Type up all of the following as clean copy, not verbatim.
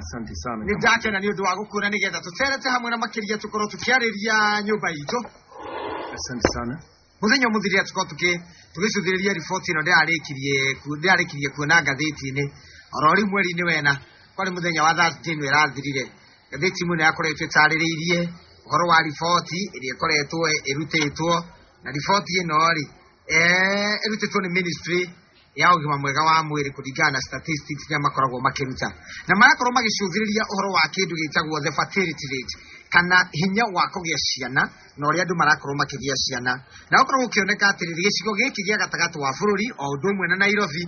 Asante sana. Nĩ ndakena nĩ ũndũ wa gũkuona nĩgetha tũterete hamwe na makĩria tũkorwo tũkĩarĩria nyũmba itũ. Asante sana. Mũthenya ũmũthĩ rĩrĩa tũkorwo tũgĩcũthĩrĩria riboti ĩno ndĩrarĩkirie kuona ngathĩti-inĩ oro rĩu mweri-inĩ wena kwarĩ mũthenya wa Thursday ĩno ĩrathirire, ngathĩti ĩmwe nĩ yakoretwo ĩtarĩrĩirie ũhoro wa riboti ĩrĩa ĩkoretwo ĩrutĩtwo, na riboti ĩno rĩ ĩrutĩtwo nĩ ministry ya ũgima mwega wa mwĩrĩ kũringana na statistics iria makoragwo makĩruta, na marakorwo magĩcũthĩrĩria ũhoro wa kĩndũ gĩtagwo the fertility rate, kana hinya wa kũgĩa ciana na ũrĩa andũ marakorwo makĩgĩa ciana, na gũkorwo gũkĩoneka atĩrĩrĩ gĩcigo gĩkĩ gĩa gatagatĩ wa bũrũri o ũndũ ũmwe na Nairobi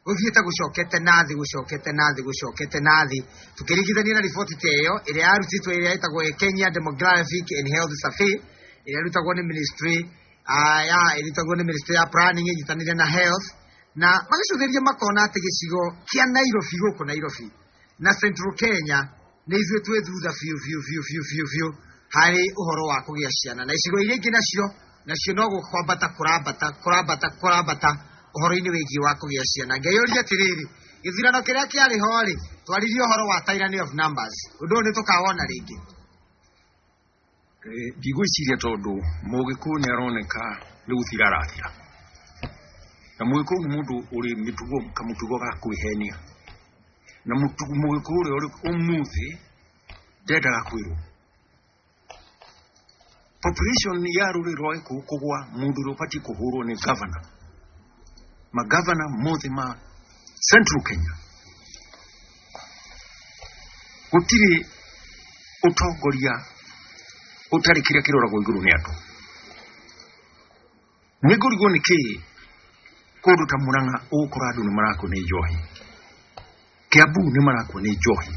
gũthiĩte gũcokete na thĩ, gũcokete na thĩ, gũcokete na thĩ, tũkĩringithania na riboti ta ĩyo ĩrĩa yarutĩtwo ĩrĩa ĩtagwo Kenya Demographic and Health Survey ĩrĩa ĩrutagwo nĩ ministry ya ĩrutagwo nĩ ministry ya planning ĩnyitanĩire na health, na magĩcũthĩrĩria makona atĩ gĩcigo kĩa Nairobi gũkũ Nairobi na Central Kenya nĩ ithuĩ twĩ thutha biũ biũ biũ biũ biũ biũ harĩ ũhoro wa kũgĩa ciana, na icigo iria ingĩ nacio no kwambata kũrambata kũrambata kũrambata ũhoro-inĩ wĩgiĩ wa kũgĩa ciana. Ngeyũria atĩrĩrĩ, gĩthurano kĩrĩa kĩarĩ ho rĩ, twaririe ũhoro wa tyranny of numbers, ũndũ ũyũ nĩ tũkawona rĩngĩ? Ndigwĩciria tondũ Mũgĩkũyũ nĩ aroneka nĩ gũthira arathira, na Mũgĩkũyũ nĩ mũndũ ũrĩ mĩtugo kamũtugo ga kwĩhenia, na Mũgĩkũyũ ũrĩa ũrĩ ũmũthĩ ndendaga kwĩrwo. Population ya rũrĩrĩ rwa Gĩkũyũ kũgwa, mũndũ ũrĩa ũbatiĩ kũhũrwo nĩ governor, magavana mothe ma Central Kenya, gũtirĩ ũtongoria ũtarĩ kĩrĩa kĩroragwo igũrũ nĩ andũ. Nĩ ngũrigwo nĩ kĩĩ kũndũ ta Murang'a ũgũkora andũ nĩ marakua nĩ njohi, Kiambu nĩ marakua nĩ njohi,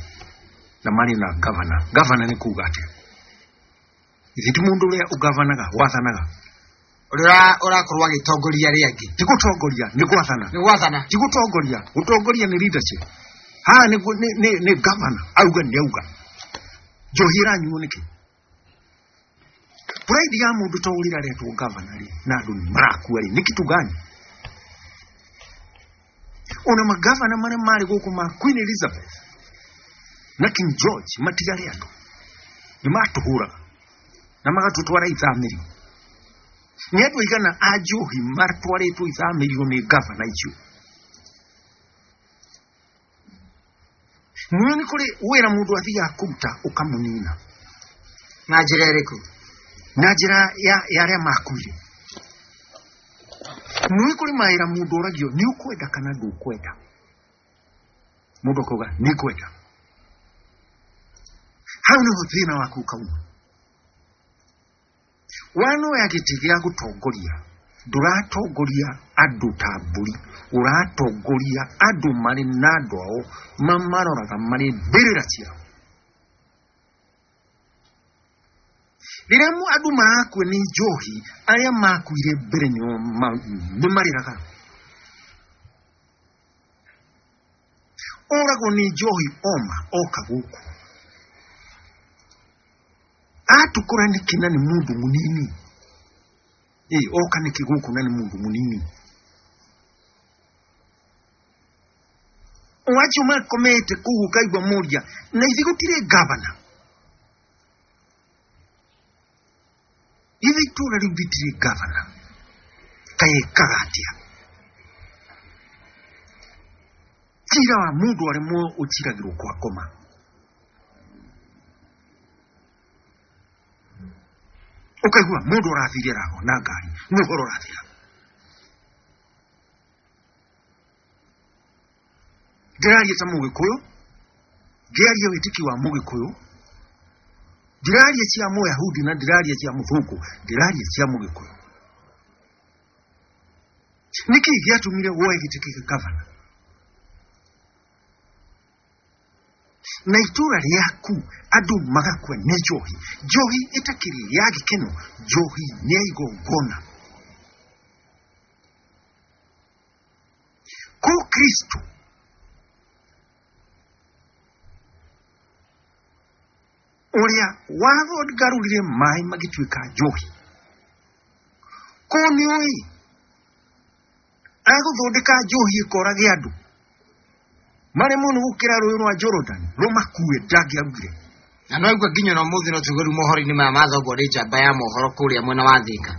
na marĩ na gavana. Gavana nĩ kuga atĩa? Ithe ti mũndũ ũrĩa ũgavanaga, wathanaga, ũrĩa ũrakorwo agĩtongoria arĩa angĩ. Ti gũtongoria, nĩ gwathana. Nĩ gwathana, ti gũtongoria. Gũtongoria nĩ leadership. Haha nĩ gavana auga nĩ auga. Njohi ĩranyuo nĩkĩ? Pride ya mũndũ ta ũrĩa aretwo gavana rĩ, na andũ nĩ marakua rĩ, nĩ kitu gani? Ona magavana marĩa marĩ gũkũ ma Queen Elizabeth na King George matiarĩ andũ, nĩ matũhũraga na magatũtwara ithamĩrio. Nĩ andũ aigana a njohi matwarĩtwo ithamĩrio nĩ gavana icio? Nĩũĩ nĩ kũrĩ wĩra mũndũ athiaga kũruta ũkamũnina. Na njĩra ĩrĩkũ? Na njĩra ya arĩa makuire. Nĩũĩ kũrĩ mawĩra mũndũ oragio nĩ ũkwenda kana ndũkwenda, mũndũ akauga nĩ ngwenda. Hau nĩho thĩna waku ũkauma. Wanoya gĩtĩ gĩa gũtongoria, ndũratongoria andũ ta mbũri, ũratongoria andũ marĩ na andũ ao mamaroraga marĩ mbĩrĩra ciao. Rĩrĩa andũ marakua nĩ njohi, arĩa makuire mbere nĩ marĩraga. Oragwo nĩ njohi oma oka gũkũ. Atukũra nĩkĩ na nĩ mũndũ mũnini? Oka nĩkĩ gũkũ na nĩ mũndũ mũnini? O acio makomete kũu ũkaigua moria, na ithe gũtirĩ gavana. Ithe itũũra rĩu rĩtirĩ gavana. Kaĩ ekaga atĩa? Cira wa mũndũ aremwo ũciragĩrwo kwa ngoma. Ũkaigua mũndũ arathire aragwa na ngari, nĩ ũhoro ũrathira. Ndĩraria ta Mũgĩkũyũ, ngĩaria wĩtĩkio wa Mũgĩkũyũ, ndĩraria cia Mũyahudi na ndĩraria cia Mũthũngũ, ndĩraria cia Mũgĩkũyũ. Nĩkĩ gĩatũmire woe gĩtĩ kĩa gavana? Na itũũra rĩaku andũ magakua nĩ njohi, njohi ĩtakĩrĩ ya gĩkeno, njohi nĩ ya igongona. Kũ Kristo ũrĩa wathongarũrire maĩ magĩtuĩka njohi, kũ nĩũĩ agũthondeka njohi ĩkorage andũ? Maremwo nĩ gũkĩra rũĩ rwa Jordan rũmakue ndangĩarugire. Na no igua nginya ona mũthĩ no tuge rĩu mohoro-inĩ maya mathomwo nĩ njamba ya mohoro kũrĩa mwena wa Thika.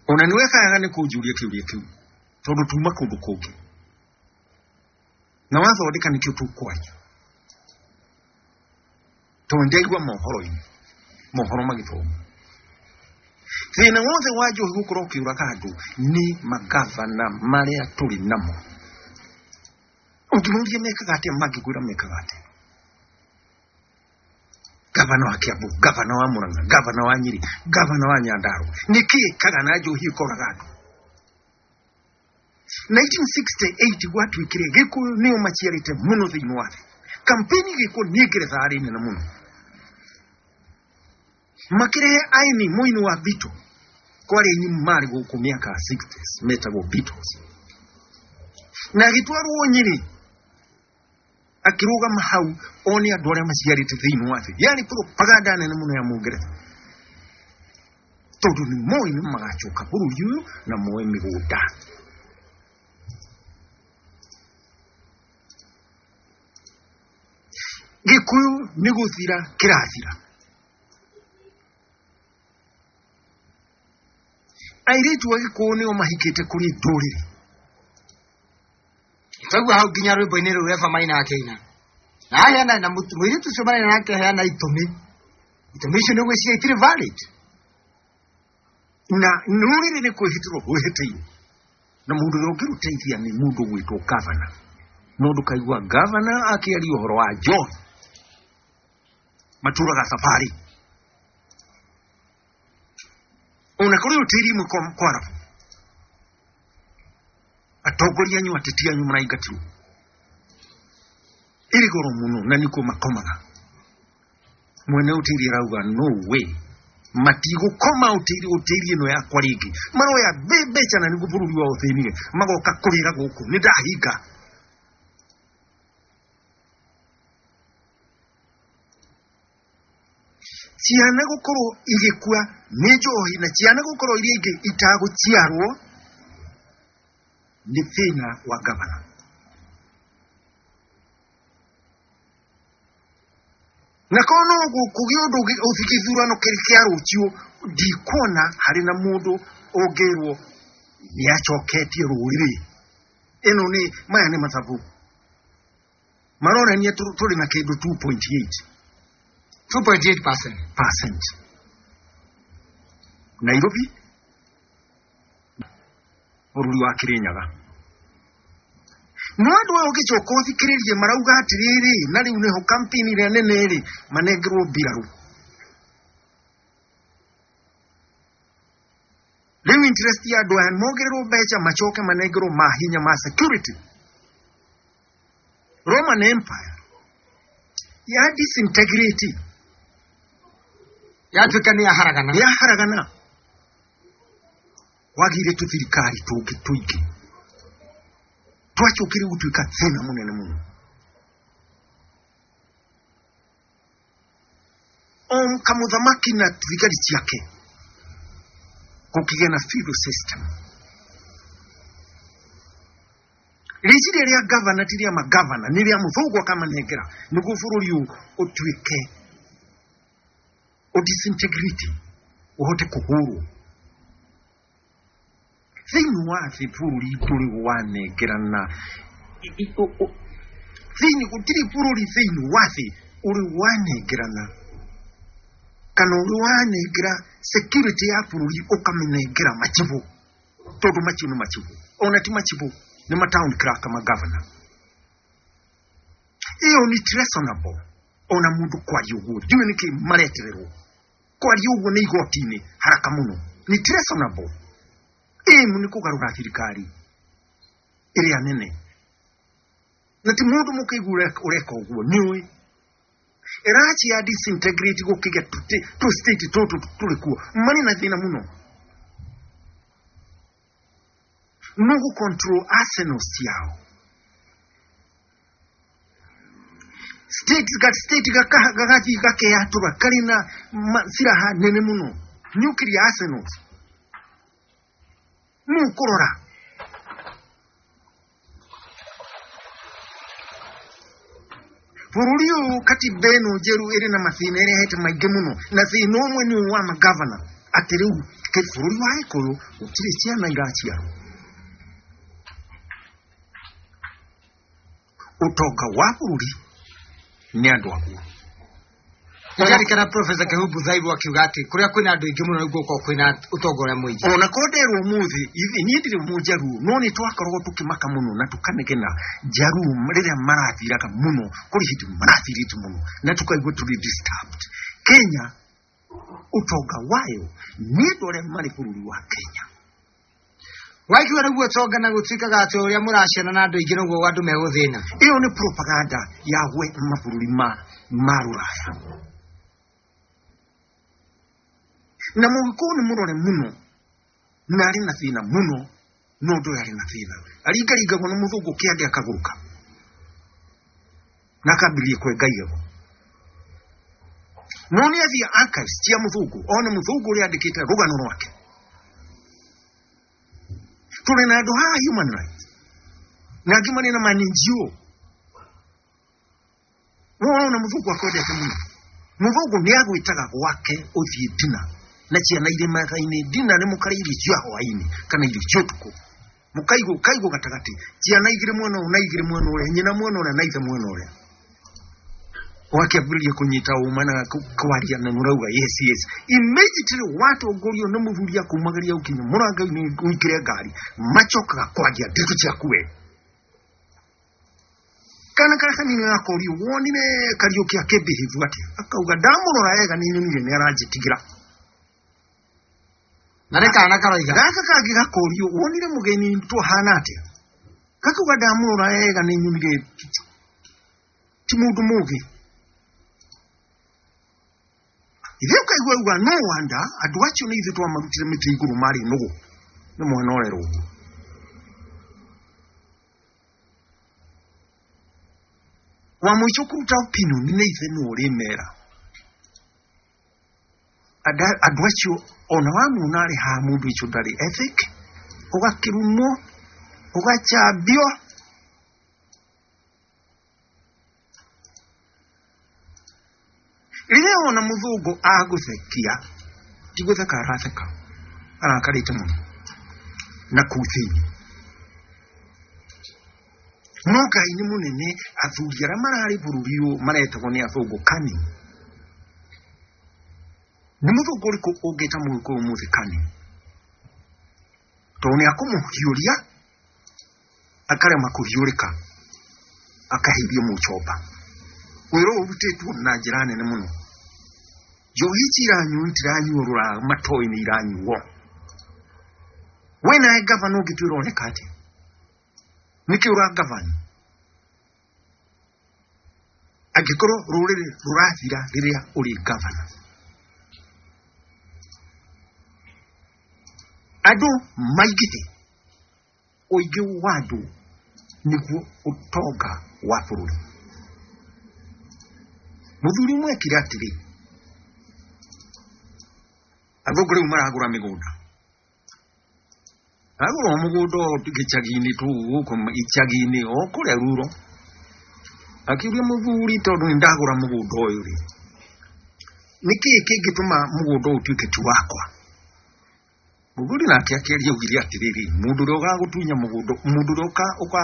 Ona nĩ wekaga nĩ kũnjũria kĩũria kĩu tondũ tuma kũndũ kũngĩ na wathondeka nĩkĩo tũkwaria tondũ ndaigua mohoro-inĩ mohoro magĩthomwo. Thĩna wothe wa njohi gũkorwo ũkĩũraga andũ nĩ magavana marĩa tũrĩ namo. Ũngĩmoria mekaga atĩa mangĩkwĩra mekaga atĩa. Gavana wa Kiambu, gavana wa Murang'a, gavana wa Nyeri, gavana wa Nyandarua, nĩkĩ ĩkaga na njohi ĩkoraga andũ? 1968 gwatuĩkire Gĩkũyũ nĩo maciarĩte mũno thĩinĩ wa thĩ. Kampeni Gĩkũyũ nĩ Ngeretha yarĩ nene mũno. Makĩrehe aini mũini wa Beatles. Kwarĩ aini marĩ gũkũ mĩaka ya 60s metagwo Beatles. Na agĩtwarwo Nyĩrĩ akĩrũgama hau one andũ arĩa maciarĩte thĩinĩ wa thĩ. Yarĩ propaganda nene mũno ya Mũngeretha tondũ nĩ moĩ nĩ magacoka bũrũri ũyũ na moe mĩgũnda. Gĩkũyũ nĩ gũthira kĩrathira. Airĩtu a Gĩkũyũ nĩo mahikĩte kũrĩ ndũrĩrĩ. Twaigua hau nginya rwĩmbo-inĩ rũu Eva Maina akĩina. Na aheana na mũirĩtu ũcio maraina nake aheana itũmi. Itũmi icio nĩ gwĩciria itirĩ valid. Na rũrĩrĩ nĩ kwĩhĩtĩrwo rwĩhĩtĩirwo. Na mũndũ ũrĩa ũngĩrũteithia nĩ mũndũ ũgwĩtwo gavana. No ndũkaigua gavana akĩaria ũhoro wa njohi. Matũraga safari. Ona kũrĩ ũtĩri imwe kwarabu. Atongoria anyu ateti anyu maraingatirwo. Ĩrĩ goro mũno na nĩkuo makomaga. Mwene ũtĩri arauga no way. Matigũkoma ũtĩri ũtĩri ĩno yakwa rĩngĩ. Maroya mbeca na nĩguo bũrũri wao ũthĩnire. Magoka kũrĩra gũkũ. Nĩ ndahinga. Ciana gũkorwo igĩkua nĩ njohi na ciana gũkorwo iria ingĩ itagũciarwo nĩ thĩna wa gavana. Na korwo no kũgĩa ũndũ gĩthurano kĩrĩ kĩa rũciũ, ndikuona harĩ na mũndũ ũngĩrwo nĩ acoketie rũrĩrĩ. Ĩno nĩ maya nĩ mathabu maronania tũrĩ na kĩndũ 2.8 2.8%. percent. Nairobi bũrũri wa Kirinyaga. No andũ aya ũngĩcoka ũthikĩrĩrie marauga atĩrĩrĩ, na rĩu nĩho kampeni ĩrĩa nene rĩ, manengerwo mbirarũ. Rĩu interest ya andũ aya mongererwo mbeca macoke manengerwo mahinya ma security. Roman Empire ya disintegrate Yatuĩka nĩ yaharagana. Yaharagana. Wagire tũthirikari tũngĩ tũingĩ. Twacokire gũtuĩka thĩna mũnene mũno. O kamũthamaki na thigari ciake gũkĩgĩa na feudal system. Rĩciria rĩa gavana ti rĩa magavana, nĩ rĩa mũthũngũ akamanengera nĩguo bũrũri ũyũ ũtuĩke ũdisintegrate, ũhote kũhũrwo. Thĩinĩ wa thĩ bũrũri ndũrĩ wanengerana. Thĩinĩ gũtirĩ bũrũri thĩinĩ wa thĩ ũrĩ wanengerana kana ũrĩ wanengera security ya bũrũri ũkamĩnengera machibu, tondũ macio nĩ machibu, ona ti machibu, nĩ ma town clerk ma governor. Ĩyo nĩ treasonable ona mũndũ kwaria ũguo, ndiũĩ nĩkĩ maretererwo kwaria ũguo nĩ igoti-inĩ haraka mũno, nĩ treasonable. Aim nĩ kũgarũra thirikari ĩrĩa nene, na ti mũndũ mũkĩigua ũreka ũguo nĩũĩ ĩrachi ya disintegrate gũkĩgĩa tũ state tũtũ tũrĩ kuo marĩ na thĩna mũno. No gũ control arsenal ciao. State ga state gagathiĩ gakeyatũra karĩ na silaha nene mũno, nuclear arsenals. Nũ kũrora? Bũrũri ũyũ katiba ĩno njerũ ĩrĩ na mathĩna ĩrehete maingĩ mũno, na thĩna ũmwe nĩ ũyũ wa magavana, atĩ rĩu bũrũri wa Gĩkũyũ gũtirĩ ciana iraciarwo. Ũtonga wa bũrũri nĩ andũ aguo. Ndirikana Professor Kehumbu Thaibu akiuga atĩ kũrĩa kwĩna andũ aingĩ mũno nĩguo gũkoragwo kwĩna ũtonga ũrĩa mũingĩ. Ona ko nderwo ũmũthĩ, niĩ ndirĩ mũnjaruo, no nĩ twakoragwo tũkĩmaka mũno na tũkanegena njaruo rĩrĩa marathiraga mũno, kũrĩ hĩndĩ marathirĩte mũno na tũkaigua tũrĩ disturbed. Kenya ũtonga wayo nĩ andũ arĩa marĩ bũrũri wa Kenya. Waigua nĩguo ũtonga na gũtuĩkaga atĩ ũrĩa mũraciana na andũ aingĩ noguo andũ megũthĩna. Ĩyo nĩ propaganda ya we mabũrũri ma rũraya. Na mũgĩkũyũ nĩ mũrore mũno na arĩ na thĩna mũno, no ũndũ ũyũ arĩ na thĩna. Aringaringagwo nĩ mũthũngũ kĩande akagũrũka na akambĩrĩria kwenga igego. No nĩ athiĩ archives cia mũthũngũ, one mũthũngũ ũrĩa andĩkĩte rũgano rwake. Tũrĩ na andũ haha human rights na angĩ marĩ na ma NGO. Wona mũthũngũ akwendete mũno, mũthũngũ nĩ agwĩtaga gwake ũthiĩ dina na ciana irĩ metha-inĩ. Dina nĩ mũkarĩa irio cia hwaĩ-inĩ kana irio cia ũtukũ, mũkaigwo kaigwo gatagatĩ, ciana igĩrĩ mwena ũyũ na igĩrĩ mwena ũrĩa, nyina mwena ũrĩa na ithe mwena ũrĩa. Wakĩambĩrĩria kũnyita ũma na kwaria na mũrauga yes yes. Immediately watongorio nĩ mũthuri akumagĩria ũkinya mũrango-inĩ ũingĩre ngari, macokaga kwaria ndeto ciaku we. Kana karĩa kanini gakorio wonire Kariũki akĩmbĩhĩvu atĩa, akauga ndamũrora wega nĩ nyonire nĩ aranjĩtigĩra. Na nĩ kana karoiga. Gaka kangĩ gakorio wonire mũgeni twahana atĩa, gakauga ndamũrora wega nĩ nyonire ti mũndũ mũgĩ. Ithe ũkaigua auga no wonder andũ acio nĩ ithuĩ twamarutire mĩtĩ igũrũ marĩ nũgũ, nĩ mwana ũrerwo ũguo. Wa mũico kũruta opinion nĩ ithe nĩ ũrĩmera. Andũ acio ona wamuona arĩ haha mũndũ ũcio ndarĩ ethic, ũgakĩrumwo, ũgachambio. Rĩrĩa wona mũthũngũ agũthekia, ti gũtheka aratheka, arakarĩte mũno na kũu thĩinĩ. No Ngai nĩ mũnene, athuri arĩa mararĩ bũrũri ũyũ maretagwo nĩ athũngũ kani. Nĩ mũthũngũ ũrĩkũ ũngĩta mũgĩkũyũ ũmũthĩ kani? Tondũ nĩ akũmũhiũria, akarema kũhiũrĩka, akahĩmbio mũchomba. Wĩra ũyũ ũrutĩtwo na njĩra nene mũno. Njohi ici iranyuo itiranyuo rũraya, matoĩ-inĩ iranyuo. We nawe gavana ũngĩtuĩra ũreka atĩa? Nĩkĩ ũrangavana? Angĩkorwo rũrĩrĩ rũrathira rĩrĩa ũrĩ gavana. Andũ maingĩhe, ũingĩ wa andũ nĩguo ũtonga wa bũrũri. Mũthuri ũmwe ekire atĩrĩ, athũngũ rĩu maragũra mĩgũnda. Agũra mũgũnda o gĩcagi-inĩ tu gũkũ icagi-inĩ o kũrĩa ruro. Akiuria mũthuri, tondũ nĩ ndagũra mũgũnda ũyũ rĩ, nĩkĩĩ kĩngĩtũma mũgũnda ũyũ ũtuĩke ti wakwa? Mũthuri nake akĩaria augire atĩrĩrĩ, mũndũ ũrĩa ũgagũtunya mũgũnda, mũndũ ũrĩa ũka, ũka,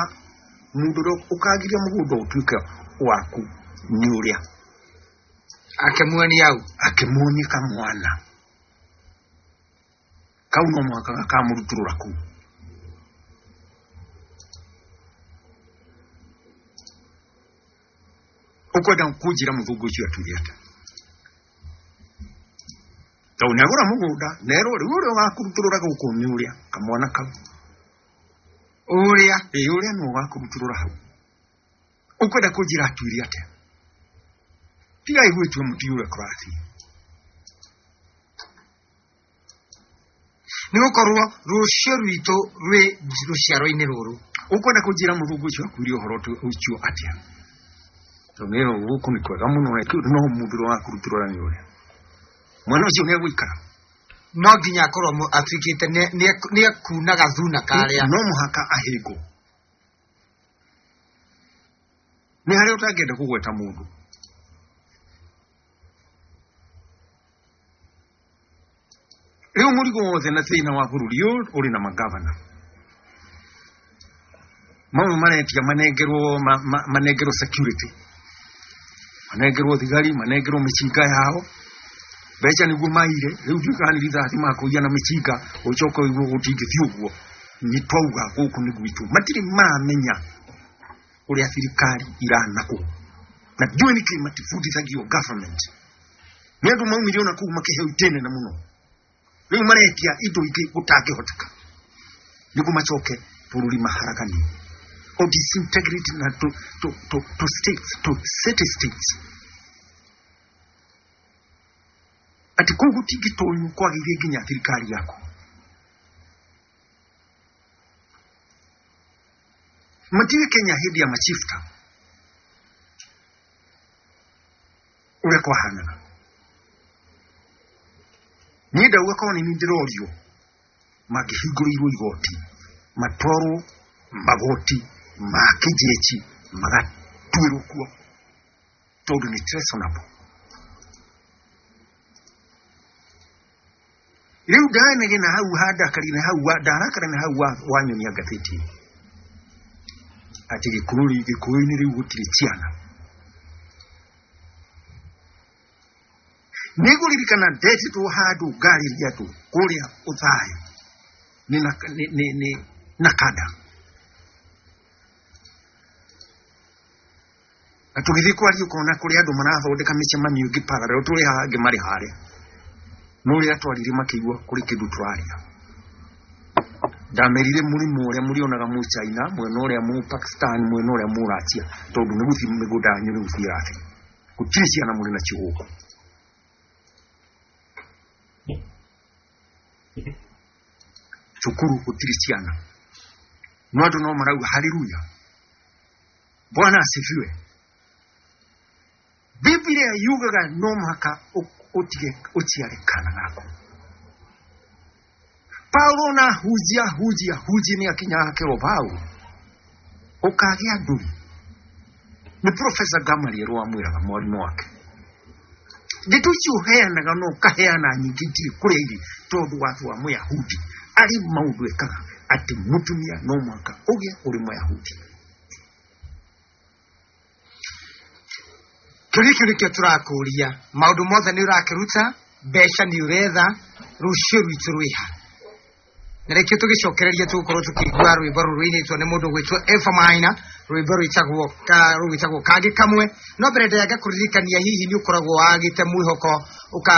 mũndũ ũrĩa ũkagiria mũgũnda ũtuĩke waku nĩ ũrĩa. Akĩmuonia hau. Akĩmuonia kamwana. Kau no mũhaka gakamũrutũrũra kũu. Ũkwenda kũnjĩra mũthũngũ ũcio atuire atĩa? Tondũ nĩ agũra mũgũnda, nerwo rĩu ũrĩa ũgakũrutũrũra gũkũ nĩ ũrĩa, kamwana kau. Ũrĩa? Ĩĩ, ũrĩa nĩwe ũgakũrutũrũra hau. Ũkwenda kũnjĩra atuire atĩa? Tigai gwĩtua mũtiũ ũrĩa kũrathiĩ. Nĩ gũkorwo rũciũ rwitũ rwĩ rũciaro-inĩ rũrũ. Ũkwenda kũnjĩra mũthũngũ ũcio akuire ũhoro ũcio atĩa? Tondũ nĩ gũkũ nĩ kwega mũno, no mũndũ ũrĩa wakũrutũrũra nĩ ũrĩa. Mwana ũcio nĩ egũikara. No nginya akorwo atuĩkĩte nĩ ekunaga thuna karĩa. No mũhaka ahĩngwo. Nĩ harĩa ũtangĩenda kũgweta mũndũ. Rĩu mũrigo wothe na thĩna wa bũrũri ũyũ ũrĩ na magavana. Mamwe maretia manengerwo manengerwo security, manengerwo thigari, manengerwo mĩcinga yao mbeca nĩguo maire. Rĩu ndiũĩ kana nĩ rithathi makũiya na mĩcinga, ũcoke ũigue gũtingĩthiĩ ũguo. Nĩ twauga gũkũ nĩ gwitũ. Matirĩ maramenya ũrĩa thirikari iranakwo, na ndiũĩ nĩkĩ matibundithagio government. Nĩ andũ maumire ona kũu makĩheo itĩ nene mũno, rĩu maretia indo ingĩ gũtangĩhoteka nĩguo macoke bũrũri maharaganie o disintegrate na to states, to city states, atĩ kũu gũtingĩtonywo kwagĩire nginya thirikari yaku. Matige Kenya hĩndĩ ya machifta ũrĩa kwahanaga. Niĩ ndauga korwo nĩ niĩ ndĩrorio, mangĩhingũrĩirwo igoti matwarwo magoti ma kĩnjechi magatuĩrwo kuo, tondũ nĩ treasonable. Rĩu ndanegena hau handakarire hau ndarakara na hau wanyonia ngathĩti atĩ gĩkũyũ-inĩ rĩu gũtirĩ ciana. Nĩngũririkana ndetĩtwo handũ ngarĩria andũ kũrĩa Ũthaya nĩ na kada, na tũgĩthiĩ kwaria ũkona kũrĩa andũ marathondeka mĩcemanio ĩngĩ parallel, tũrĩ haha angĩ marĩ harĩa, no rĩrĩa twaririe makĩigua kũrĩ kĩndũ tũraria. Ndamerire mũrimũ ũrĩa mũrĩonaga mũ China, mwena ũrĩa mũ Pakistan, mwena ũrĩa mũ Russia, tondũ nĩ gũthiĩ mĩgũnda yanyu nĩ gũthiĩ ĩrathiĩ, gũtirĩ ciana mũrĩ nacio gũkũ. Cukuru gũtirĩ ciana, no andũ no marauga haleluya, Bwana asifiwe. Biblia yugaga no mũhaka ũtige ũciare kana gaku. Paulo na hunjia hunjia hunjia nĩ akinyaga akerwo Paulo ũkagĩa ndũri. Nĩ Professor Gamaliel wamwĩraga mwarimũ wake, ndeto icio ũheanaga no ũkaheana nyingĩ itirĩ kũrĩa irĩ, tondũ watho wa Mũyahudi arĩ maũndũ ekaga atĩ mũtumia no mũhaka ũgĩe ũrĩ Mũyahudi. Kĩũria kĩu nĩkĩo tũrakũria, maũndũ mothe nĩ ũrakĩruta, mbeca nĩ ũretha, rũciũ rwitũ rwĩha? Na rĩkĩo tũgĩcokereria tũgũkorwo tũkĩigua rwĩmbo rũrũ rũinĩtwo nĩ mũndũ gwĩtwo Eva Maina, rwĩmbo rwĩtagwo kangĩ kamwe. No mbere ndaya ngakũririkania, hihi nĩ ũkoragwo wagĩte mwĩhoko ũka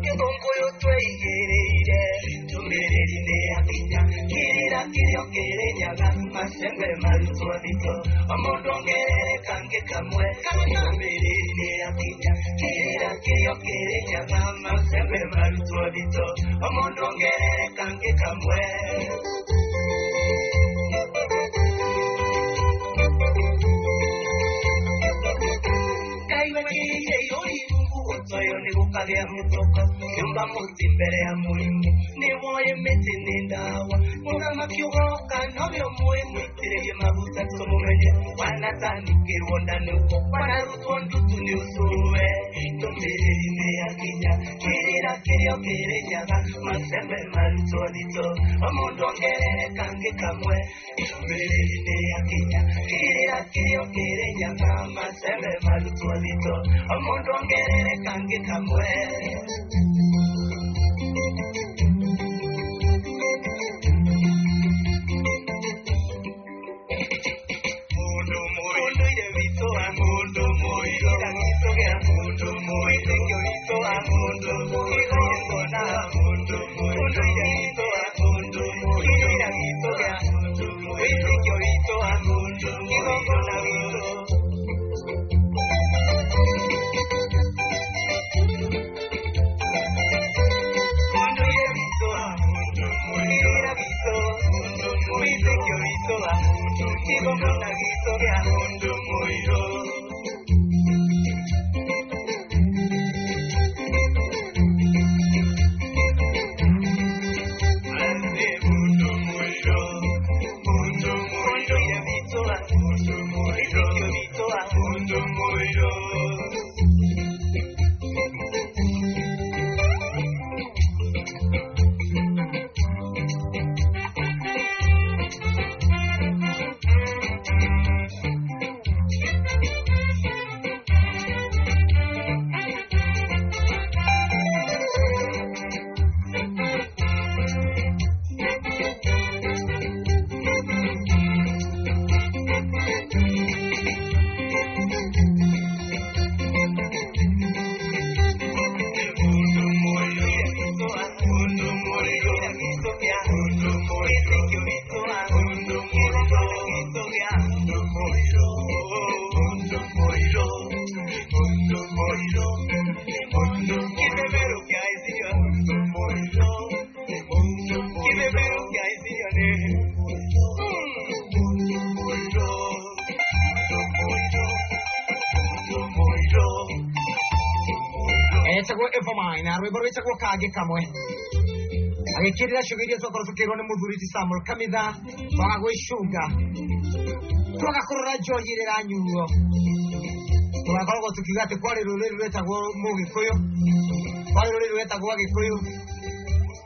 Gĩthũngũyũ tweigĩrĩire ndũmĩrĩri nĩ yakinya, kĩrĩra kĩrĩa kĩrĩnyaga macembe marutwo thito, o mũndũ ongerere kangĩ kamwe. Ndũmĩrĩri nĩ yakinya, kĩrĩra kĩrĩa kĩrĩnyaga macembe marutwo thito, o mũndũ ongerere kangĩ kamwe. Ngai wekĩrĩire irũri rungu gũtoyo nĩ gũkagĩa mũtoko, kĩũmba mũtĩ mbere ya mũrimũ nĩ woĩ mĩtĩ nĩ ndawa, mũthamaki ũgoka nowe ũmũĩ, mũitĩrĩrie maguta tũmũmenye, wanatanukĩrwo nda nĩ ũko, wanarutwo ndutu nĩ ũcũwe. Ndũmĩrĩri nĩ yakinya, kĩrĩra kĩrĩa kĩrĩnyaga macembe marutwo thito, o mũndũ ongerere kangĩ kamwe. Ndũmĩrĩri nĩ yakinya, kĩrĩra kĩrĩa kĩrĩnyaga macembe marutwo thito, o mũndũ ongerere kangĩ kamwe. Mũndũ mũndũire witũ wa mũndũ mũirũ gitũ gĩa mũndũ mũitĩkio witũ wa mũndũ kĩgongona wa mũndũ mũndũire witũ wa mũndũ kĩrĩra gitũ gĩa mũndũ wĩtĩkio witũ wa mũndũ kĩgongona witũ. Mũndũire witũ wa mũndũ kĩrĩra gitũ mũndũ wĩtĩkio witũ wa mũndũ kĩgongona gitũ gĩa mũndũ mũirũ. Etagwo Evermine na rwĩmbo rwĩtagwo Kangĩ Kamwe. Agĩkĩrĩra ciũga iria twakorwo tũkĩrwo nĩ mũthuri ti Samuel Kamitha, twaga gwĩcunga, twaga kũrora njohi ĩrĩa ĩranyuo, tũgakoragwo tũkiuga atĩ kwarĩ rũrĩrĩ rwĩtagwo Mũgĩkũyũ, kwarĩ rũrĩrĩ rwĩtagwo Agĩkũyũ,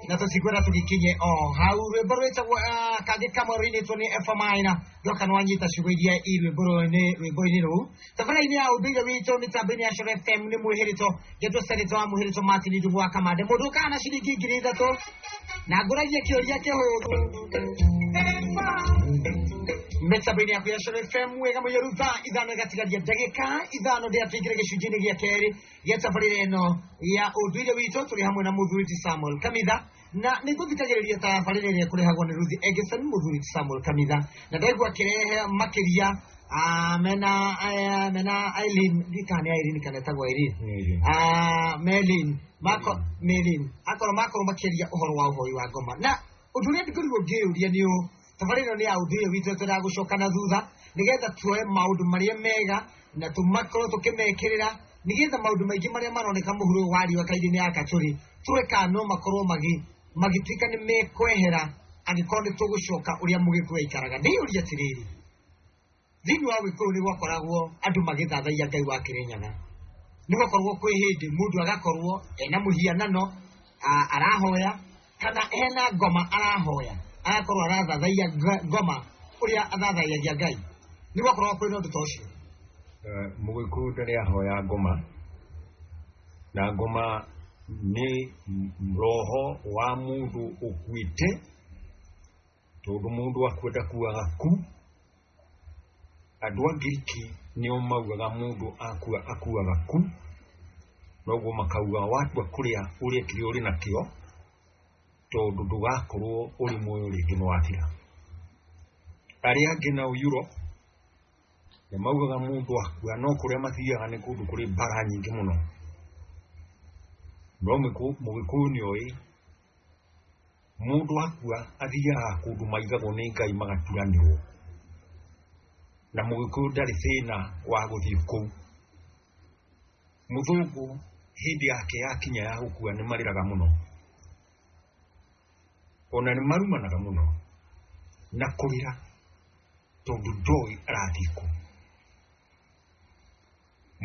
na tũtikwenda tũgĩkinye o hau. Rwĩmbo rwĩtagwo Kangĩ Kamwe rũinĩtwo nĩ Evermine. Ndoka nĩwanyita ciugo iria i rwĩmbo-inĩ rũu. Tabarĩra-inĩ ya ũndũire witũ mĩtambo-inĩ ya Coro FM nĩ mwĩhĩrĩto ngetwo seneta wa mwĩhĩrĩto Martin Ndung'u wa Kamande, mũndũ ũkaga na ciringi 3,000 na ngũragia kĩũria kĩhũthũ mĩtambo-inĩ yaku ya Coro FM. Wega mũiyũru, thaa 5 ĩgatigaria ndagĩka 5 ndĩa tũingĩre gĩcunjĩ-inĩ gĩa kerĩ gĩa tabarĩra ĩno ya ũndũire witũ. Tũrĩ hamwe na mũthuri ti Samuel Kamitha, na nĩ ngũthikagĩrĩria tabarĩra ĩrĩa ĩkũrehagwo nĩ Ruth Egison. Mũthuri ti Samuel Kamitha na ndaigua akĩrehe makĩria mena Eileen, ndikana nĩ Irene kana etagwo Irene, Melin mako Melin, akorwo makorwo makĩaria ũhoro wa ũhoi wa ngoma. Na ũndũ ũrĩa ngorirwo ngĩũria nĩ ũũ, tabarĩra ĩno nĩ ya ũndũire witũ, twendaga gũcoka na thutha nĩgetha tuoe maũndũ marĩa mega na tũmakorwo tũkĩmekĩrĩra, nĩgetha maũndũ maingĩ marĩa maroneka mũhuro wa riũa kairĩ-inĩ ya kachũrĩ tũrore kana no makorwo magĩtuĩka nĩ mekwehera angĩkorwo nĩ tũgũcoka ũrĩa Mũgĩkũyũ aikaraga. Ndĩyũria atĩrĩrĩ, thĩinĩ wa Gĩkũyũ nĩ gwakoragwo andũ magĩthathaiya Ngai wa Kĩrĩnyaga, nĩ gwakoragwo kwĩ hĩndĩ mũndũ agakorwo ena mũhianano arahoya, kana hena ngoma arahoya, agakorwo arathathaiya ngoma ũrĩa athathaiyagia Ngai. Nĩ gwakoragwo kwĩna ũndũ ta ũcio? Mũgĩkũyũ ndarĩ ahoya ngoma, na ngoma nĩ roho wa mũndũ ũkuĩte, tondũ mũndũ akua ndakuaga ku. Andũ a Ngiriki nĩo maugaga mũndũ akua akuaga ku, noguo makauga watua kũrĩa ũrĩe kĩrĩa ũrĩ nakĩo, tondũ ndũgakorwo ũrĩ muoyo rĩngĩ nĩ wathira. Arĩa angĩ nao Europe nĩ maugaga mũndũ akua no kũrĩa mathiaga nĩ kũndũ kũrĩ mbara nyingĩ mũno. No Mũgĩkũyũ nĩoĩ mũndũ akua athiaga kũndũ maigagwo nĩ Ngai magaturanĩrwo, na Mũgĩkũyũ ndarĩ thĩna wa gũthiĩ kũu. Mũthũngũ hĩndĩ yake yakinya ya gũkua nĩ marĩraga mũno, ona nĩ marumanaga mũno na kũrĩra, tondũ ndoĩ arathiĩ kũ.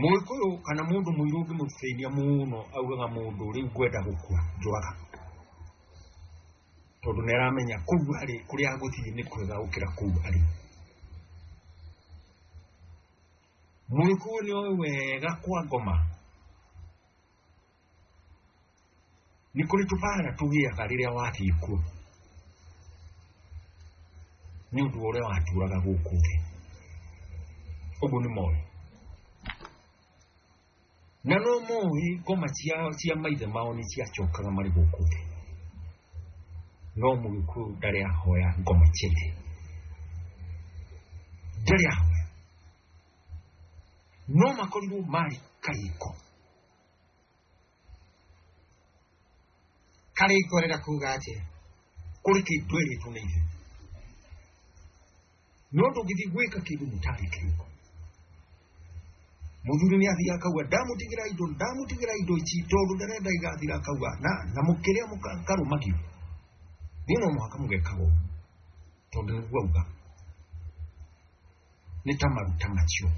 Mũgĩkũyũ kana mũndũ mũirũ ũngĩmũthĩnia mũno augaga mũndũ rĩu ngwenda gũkua njũraga, tondũ nĩ aramenya kũu arĩ kũrĩa agũthiĩ nĩ kwega gũkĩra kũu arĩ. Mũgĩkũyũ nĩ oĩ wega kwa ngoma nĩ kũrĩ tũbara tũgĩaga rĩrĩa wathiĩ kuo nĩ ũndũ wa ũrĩa watũraga gũkũ thĩ. Ũguo nĩ moĩ, na no moĩ ngoma cia maithe mao nĩ ciacokaga marĩ gũkũ thĩ, no Mũgĩkũyũ ndarĩ ahoya ngoma cia ithe, ndarĩ ahoya, no makorirwo marĩ karĩko. Karĩko rĩra kuga atĩa? Kũrĩ kĩndũ ĩrĩtwo nĩ ithe, no ndũngĩthiĩ gwĩka kĩndũ mũtarĩ kĩrĩko. Mũthuri nĩ athiaga akauga ndamũtigĩra indo, ndamũtigĩra indo ici tondũ ndarenda igathira, akauga na mũkĩrĩa mũkarũmagio, niĩ no mũhaka mũgekaga ũguo tondũ nĩguo auga, nĩ ta maruta macio.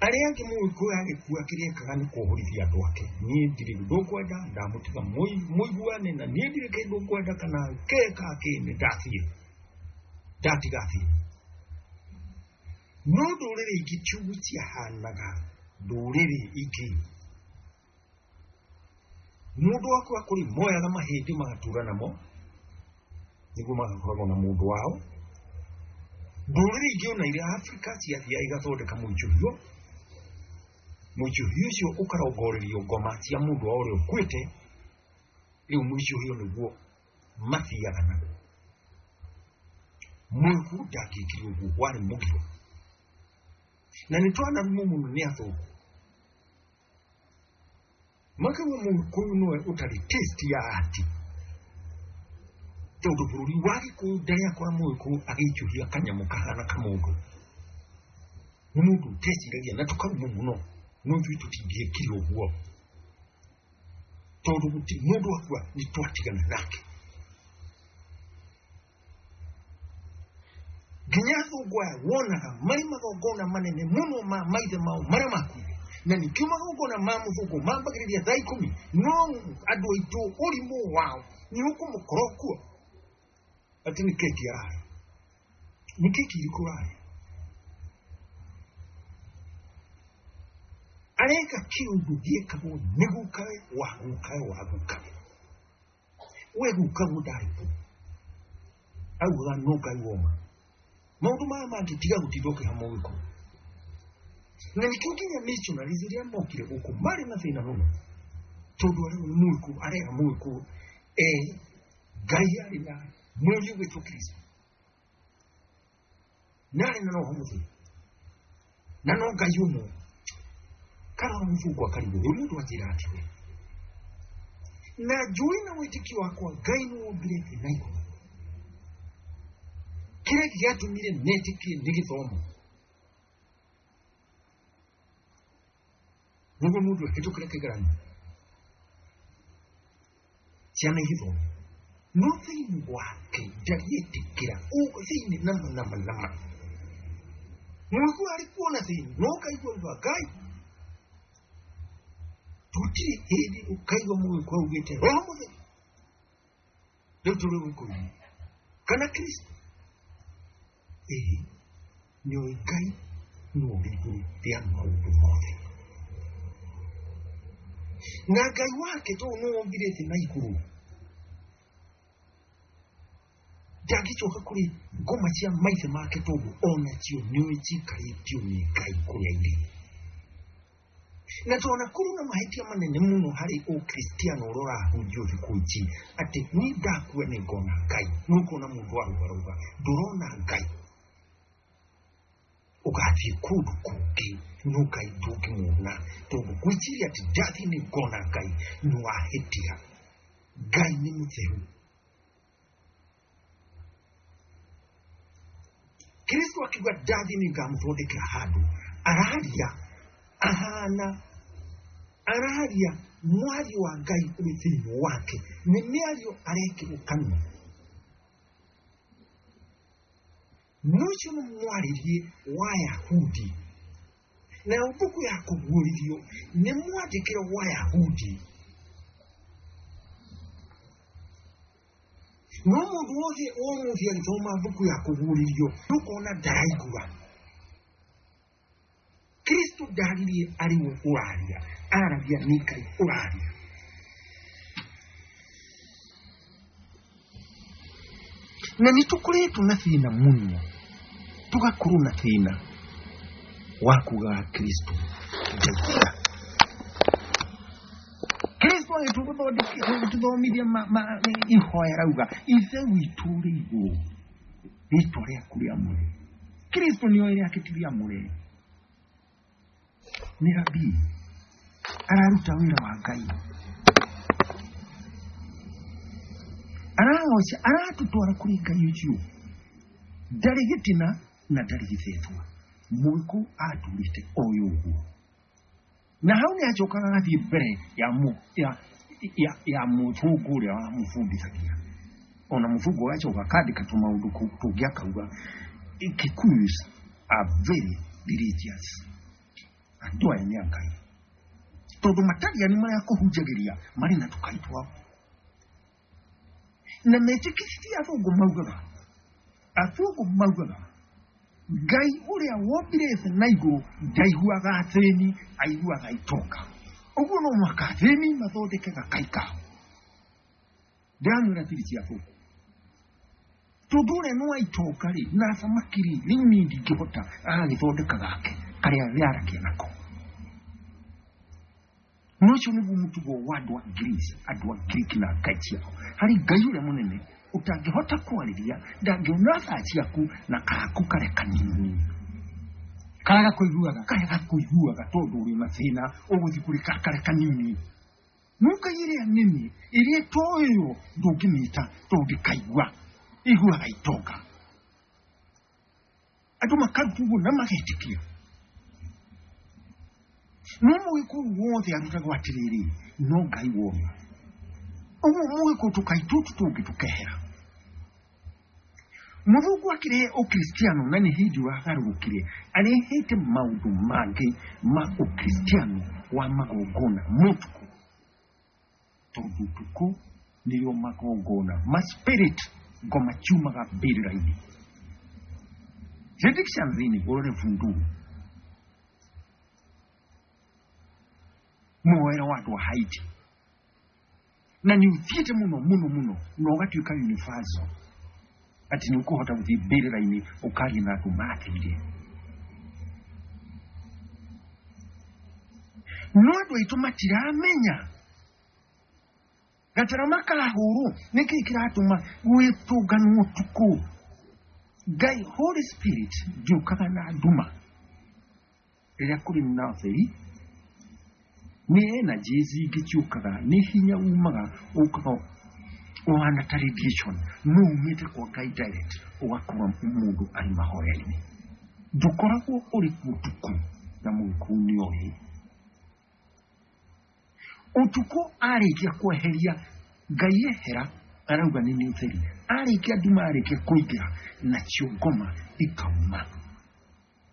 Arĩa angĩ Mũgĩkũyũ agĩkua kĩrĩa ekaga nĩ kuohorithia andũ ake, niĩ ndirĩ ndũkwenda, ndamũtiga mũiguane, na niĩ ndirĩ kĩndũ ngwenda kana kĩ ka kĩ, nĩ ndathiĩ, ndatiga thiĩ. No ndũrĩrĩ ingĩ ti ũguo ciahanaga. Ndũrĩrĩ ingĩ mũndũ akua kũrĩ moyaga mahĩndĩ magatura namo nĩguo magakoragwo na mũndũ wao. Ndũrĩrĩ ingĩ ona iria Afrika ciathiaga igathondeka mũicũhio, mũicũhio ũcio ũkarongorerio ngoma cia mũndũ wao ũrĩa ũkuĩte, rĩu mũicũhio nĩguo mathiaga naguo. Mũgĩkũyũ ndangĩkire ũguo, warĩ mũgiro, na nĩ twanarumwo mũno nĩ athũngũ makauga Mũgĩkũyũ nĩwe ũtarĩ taste ya ati, tondũ bũrũri wa Gĩkũyũ ndarĩ akora Mũgĩkũyũ agĩicũhia kanyamũ kahana kamũndũ, nĩ mũndũ ũteciragia, na tũkarumwo mũno, no ithuĩ tũtingĩekire ũguo. Tondũ gũtirĩ mũndũ akua nĩ twatigana nake. Nginya athũngũ aya wonaga marĩ magongona manene mũno ma maithe mao marĩa makuire. Na nĩkĩo magongona ma mũthũngũ mambagĩrĩria thaa 10, no andũ aitũ ũrimũ wao nĩ ũkũmũkora kuo atĩ nĩ keki ararĩa. Nĩ keki irĩkũ ũrarĩa? Areka kĩũndũ gĩekagwo nĩ gukawe wa gukawe wa gukawe. We gukaguo ndarĩ kuo. Augaga no Ngai woma. Maũndũ maya mangĩ tiga gũtinda ũkĩha mũgĩkũyũ. Na nĩkĩo nginya missionaries rĩrĩa mokire gũkũ marĩ na thĩna mũno. Tondũ arĩa nĩ mũgĩkũyũ, arera mũgĩkũyũ, Ngai arĩ na mũriũ gwĩtwo Kristo. Na arĩ na Roho Mũtheru. Na no Ngai ũmwe. Karora mũthũngũ akarigwo, ũyũ mũndũ anjĩra atĩ we. Na njũĩ na wĩtĩkio wakwa Ngai nĩ wombire thĩ na igũrũ. Kĩrĩa gĩatũmire metĩkie nĩ gĩthomo. Nĩguo mũndũ ahĩtũkĩre kĩgeranio. Ciana igĩthoma. No thĩinĩ wake ndariĩtĩkĩra, thĩinĩ nama nama nama. Mũgĩkũyũ arĩ kuona thĩinĩ, no ũkaigua uga Ngai. Tũtirĩ hĩndĩ ũkaigua mũgĩkũyũ augĩte Roho Mũtheru. Rĩu tũrĩ gũkũ-inĩ. Kana Kristo. Ĩĩ, nĩũĩ Ngai nĩ ũrĩ igũrũ rĩa maũndũ mothe. Na Ngai wake tondũ nĩ wombire thĩ na igũrũ. Ndangĩcoka kũrĩ ngoma cia maithe make tondũ onacio nĩũĩ cikarĩtio nĩ Ngai kũrĩa irĩ. Na tondũ kũrĩ na mahĩtia manene mũno harĩ ũkristiano ũrĩa ũrahunjio thikũ ici, atĩ niĩ ndakua nĩ ngona Ngai. Nĩ ũkuona mũndũ arũgarũga, ndũrona Ngai. Ũgathiĩ kũndũ kũngĩ, no Ngai ndũngĩmuona, tondũ gwĩciria atĩ ndathiĩ nĩ ngona Ngai, nĩ wahĩtia. Ngai nĩ mũtheru. Kristo akiuga ndathiĩ nĩ ngamũthondekera handũ, araria ahana, araria mwario wa Ngai ũrĩ thĩinĩ wake, nĩ mĩario arekĩrwo kanua. No ũcio nĩ mwarĩrie wa Yahudi. Nayo mbuku ya kũguũrĩrio nĩ mwandĩkĩre wa Yahudi. No mũndũ wothe ũmũthĩ agĩthoma mbuku ya kũguũrĩrio, nĩũkona ndaraigua. Kristo ndaririe arĩ we ũraria, aragia nĩ Ngai ũraria. Na nĩ tũkoretwo na thĩna mũno, tũgakorwo na thĩna wa kugaga Kristo ndeithia. Kristo agĩtũthomithia ihoya rauga, Ithe witũ ũrĩ igũrũ, rĩtwa rĩaku rĩamũre. Kristo nĩoĩ rĩake ti rĩamũre. Nĩ rabii, araruta wĩra wa Ngai. Aragoca, aratũtwara kũrĩ Ngai ũcio. Ndarĩ gĩtina na ndarĩ gĩthethwa. Mũgĩkũyũ atũrĩte oĩ ũguo. Na hau nĩ acokaga agathiĩ mbere ya mũthũngũ ũrĩa wamũbundithagia. Ona mũthũngũ agacoka akandĩka tũmaũndũ tũngĩ akauga, Kikuyus are very religious. Andũ aya nĩ a Ngai. Tondũ matariani marĩa kũhunjagĩria marĩ na tũkai twao. Na metĩkĩtie athũngũ maugaga, athũngũ maugaga, Ngai ũrĩa wombire thĩ na igũrũ ndaiguaga athĩni, aiguaga itonga. Ũguo no mũhaka athĩni mathondeke gakai kao. Ndĩramwĩra tiri cia athũngũ. Tondũ ũrĩa nĩ wa itonga rĩ, na thamaki rĩ, rĩu niĩ ndingĩhota, agagĩthondeka gake, karĩa yaragia nako. No ũcio nĩguo mũtugo wa andũ a Greece, andũ a Greek na ngai ciao. Harĩ Ngai ũrĩa mũnene, ũtangĩhota kwarĩria, ndangĩona thaa ciaku na kaku karĩa kanini. Karĩa gakũiguaga. Karĩa gakũiguaga tondũ ũrĩ na thĩna, ũgũthiĩ kũrĩ karĩa kanini. No ngai ĩrĩa nene, ĩrĩa ĩtoĩyo, ndũngĩmĩta tondũ ndĩkaigua. Ĩiguaga itonga. Andũ makarutwo ũguo na magetĩkia. No mũgĩkũyũ wothe arutagwo atĩrĩrĩ, no Ngai wona. Ũguo mũgĩkũyũ tũkai tũtũ tũngĩ tũkehera. Mũthũngũ akĩrehe ũkristiano na nĩ hĩndĩ wagarũrũkire arehete maũndũ mangĩ ma ũkristiano wa magongona mũtukũ, tondũ ũtukũ nĩrĩo magongona ma spirit ngoma ciumaga mbĩrĩra-inĩ. Tradition-inĩ ũrore voodoo, muoere wa andũ a Haiti, na nĩ ũthiĩte mũno mũno mũno na ũgatuĩka universal atĩ nĩ ũkũhota gũthiĩ mbĩrĩra-inĩ ũkaria na andũ mathire. No andũ aitũ matiramenya gatarama kahũrwo nĩkĩ kĩratũma gwĩtũnganwo ũtukũ. Ngai Holy Spirit ndĩũkaga na nduma rĩrĩa kũrĩ na ũtheri, nĩ energies ingĩ ciũkaga, nĩ hinya umaga ũkaga ũhana ta radiation, no umĩte kwa Ngai direct ũgakora mũndũ arĩ mahoya-inĩ. Ndũkoragwo ũrĩ kuo ũtukũ na mũgĩkũyũ nĩ oĩ. Ũtukũ arĩkia kweheria Ngai ehera arauga nĩ nĩ ũtheri, arĩkia nduma arĩkia kũingĩra nacio ngoma ikauma.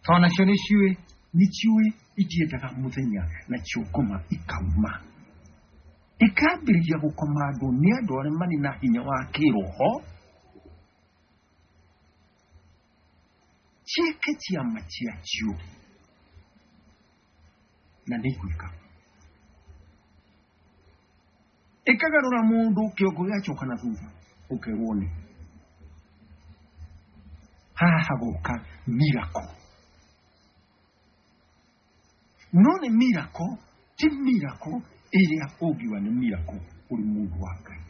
Tondũ nacio nĩ ciũĩ. Nĩ ciũĩ itiendaga mũthenya, nacio ngoma ikauma ikambĩrĩria gũkoma andũ nĩ andũ arĩa marĩ na hinya wa kĩroho, ciĩke ciama ciacio na nĩ igwĩka. Ĩkagarũra mũndũ kĩongo gĩgacoka na thutha ũkerwo nĩ haha hagoka miracle. No nĩ miracle, ti miracle ĩrĩa ũngiuga nĩ miracle ũrĩ mũndũ wa Ngai.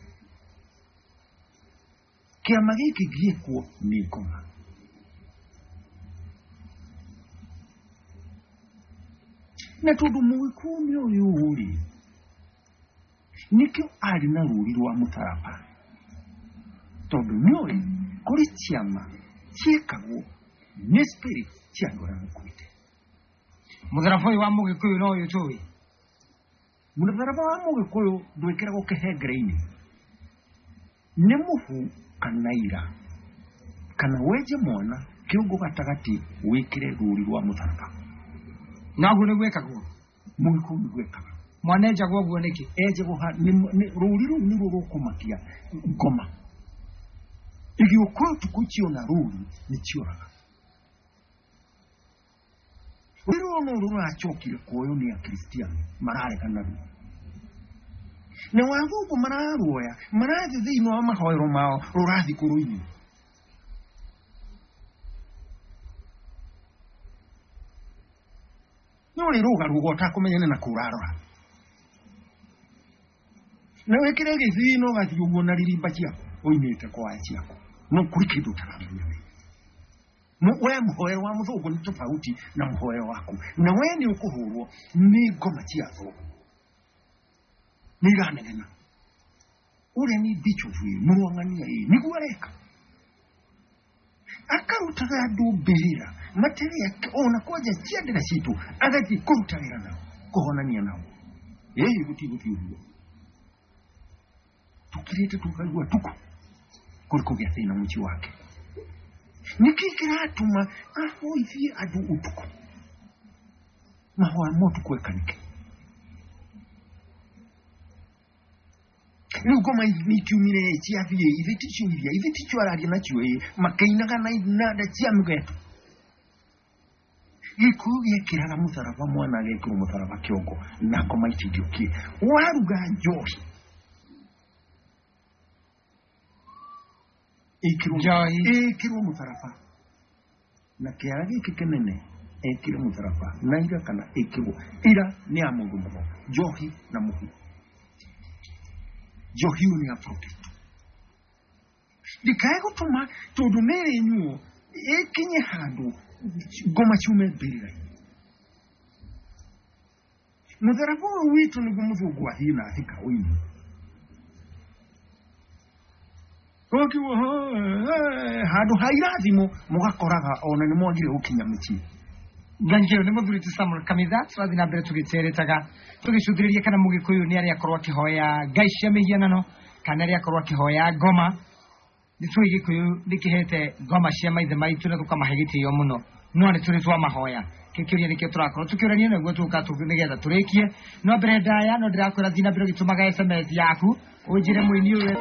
Kĩama gĩkĩ gĩekwo nĩ ngoma. Na tondũ mũgĩkũyũ nĩ ũyũ rĩ, nĩkĩo arĩ na rũri rwa mũtharaba, tondũ nĩoĩ kũrĩ ciama ciĩkagwo nĩ spirit cia andũ arĩa makuĩte. Mũtharaba ũyũ wa mũgĩkũyũ no ũyũ tũĩ. Mũtharaba wa mũgĩkũyũ ndwĩkĩragwo kĩhengere-inĩ, nĩ mũhu kana ira, kana wenje mwana kĩongo gatagatĩ wĩkĩre rũri rwa mũtharaba. Na ũguo nĩguo ĩkagwo. Mũgĩkũyũ nĩguo ekaga. Mwana enjagwo ũguo nĩkĩ? Enjagwo rũri rũu nĩruo rũkũmakia ngoma igĩũka ũtukũ, ciona rũri nĩ cioraga. Rũri rũrũ no rũracokire kuoywo nĩ akristiano mararega naruo, na wathũngũ mararuoya marathiĩ thĩinĩ wa mahoero mao rũrathiĩ kũrũinĩ. No rĩ rũgarũga ũtakũmenya nĩ na kũrarora, na wĩkĩre gĩthii no gathiĩ ũguo na ririmba ciaku ũinĩte kwaya ciaku, no kũrĩ kĩndũ ũtaramenya we. We mũhoero wa mũthũngũ nĩ tofauti na mũhoero waku, na we nĩ ũkũhũrwo nĩ ngoma cia thũngũ nĩ iranegena ũrĩa nĩ bishop ĩ mũrwang'ania ĩ nĩguo areka akarutaga andũ mbĩrĩra matarĩ ona kwanja ciandĩra citũ agathiĩ kũruta wĩra nao kũhonania nao. Ĩĩ gũtigũthiĩ ũguo tukirĩte tukaigua tuku kũrĩ kũgĩa thĩna mũciĩ wake. Nĩkĩ kĩratũma ahoithie andũ ũtukũ mahoya ma ũtukũ ekanike? Rĩu ngoma nĩikiumire ciathiĩ ithe ticio iria ithe ticio araria nacio ĩ makĩinaga na inanda cia mĩgeto. Gĩkũyũ gĩekĩraga mũtharaba, mwana agekĩrwo mũtharaba kĩongo na ngoma itingĩũkire. Waruga njohi ĩkĩrwo Njohi. ĩkĩrwo mũtharaba na kĩara gĩkĩ kĩnene ekĩre mũtharaba na ira kana ĩkĩrwo ira nĩ ya mũndũ mũgo njohi na mũhu. Njohi ĩyo nĩ ya protest, ndikae gũtũma tondũ nĩ ĩrĩnyuo ĩkinye handũ ngoma ciume mbĩrĩra-inĩ. Mũtharaba ũyũ witũ nĩguo mũthũngũ athiĩ na athika ũini ũkiuga handũ ha irathimo mũgakoraga ona nĩ mwagire gũkinya mũciĩ. Thank you. Nĩ mũthuri ti Samuel Kamitha, tũrathiĩ na mbere tũgĩteretaga tũgĩcũthĩrĩria kana mũgĩkũyũ nĩ arĩa akorwo akĩhoya ngai cia mĩhianano Kana rĩakorwo akĩhoya ngoma. Nĩ tũĩ Gĩkũyũ nĩ kĩhete ngoma cia maithe maitũ na tũkamahe gĩtĩo mũno, no nĩ tũrĩ twa mahoya. Kĩũria nĩkĩo tũrakorwo tũkĩũrania naguo tũka nĩgetha tũrĩkie. No mbere ndaya no ndĩrakwĩra thiĩ na mbere ũgĩtũmaga SMS yaku ũnjĩre mũini ũyũ.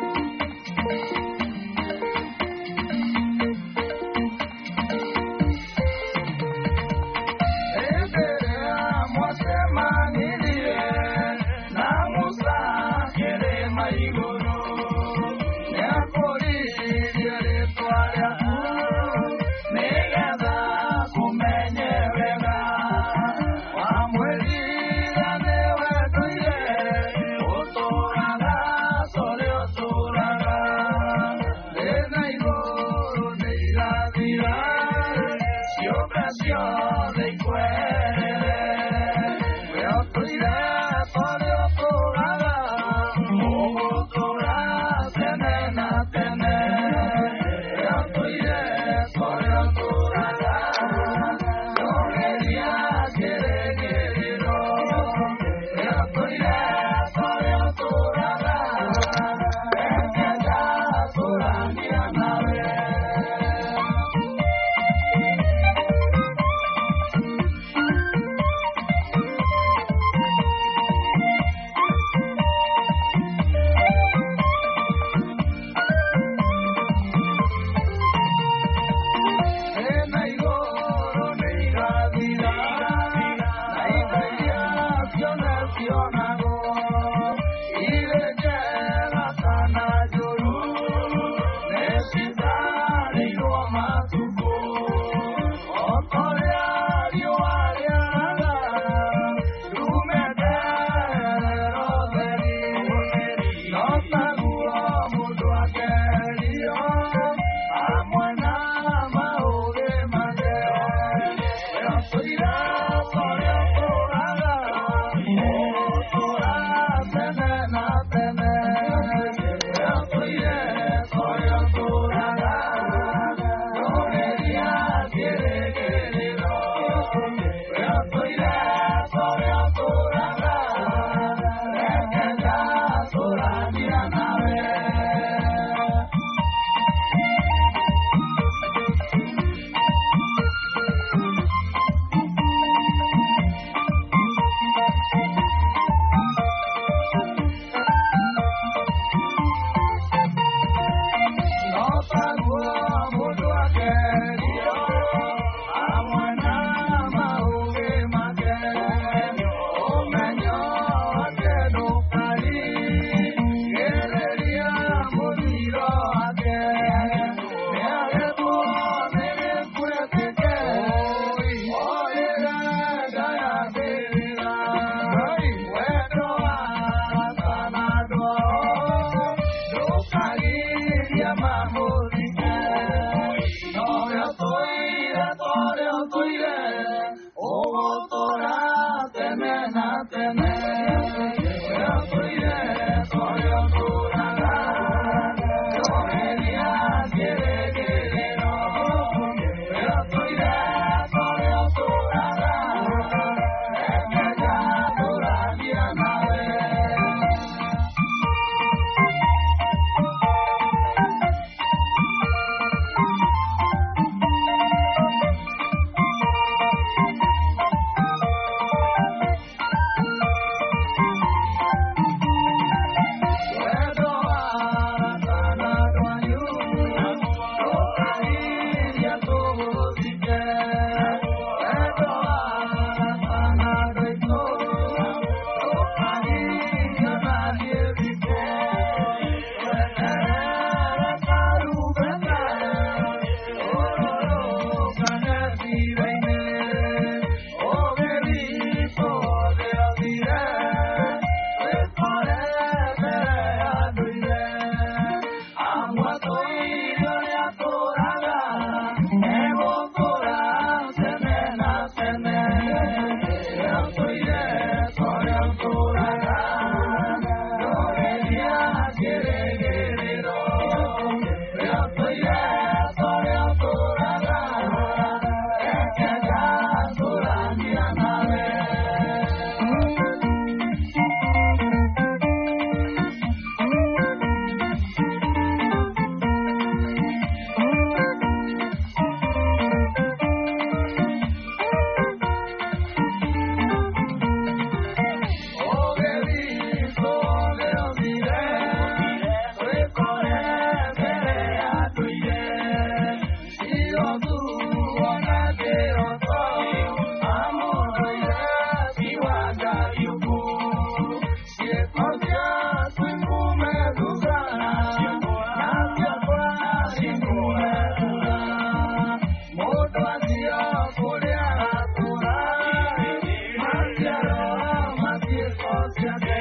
ciĩko ciake.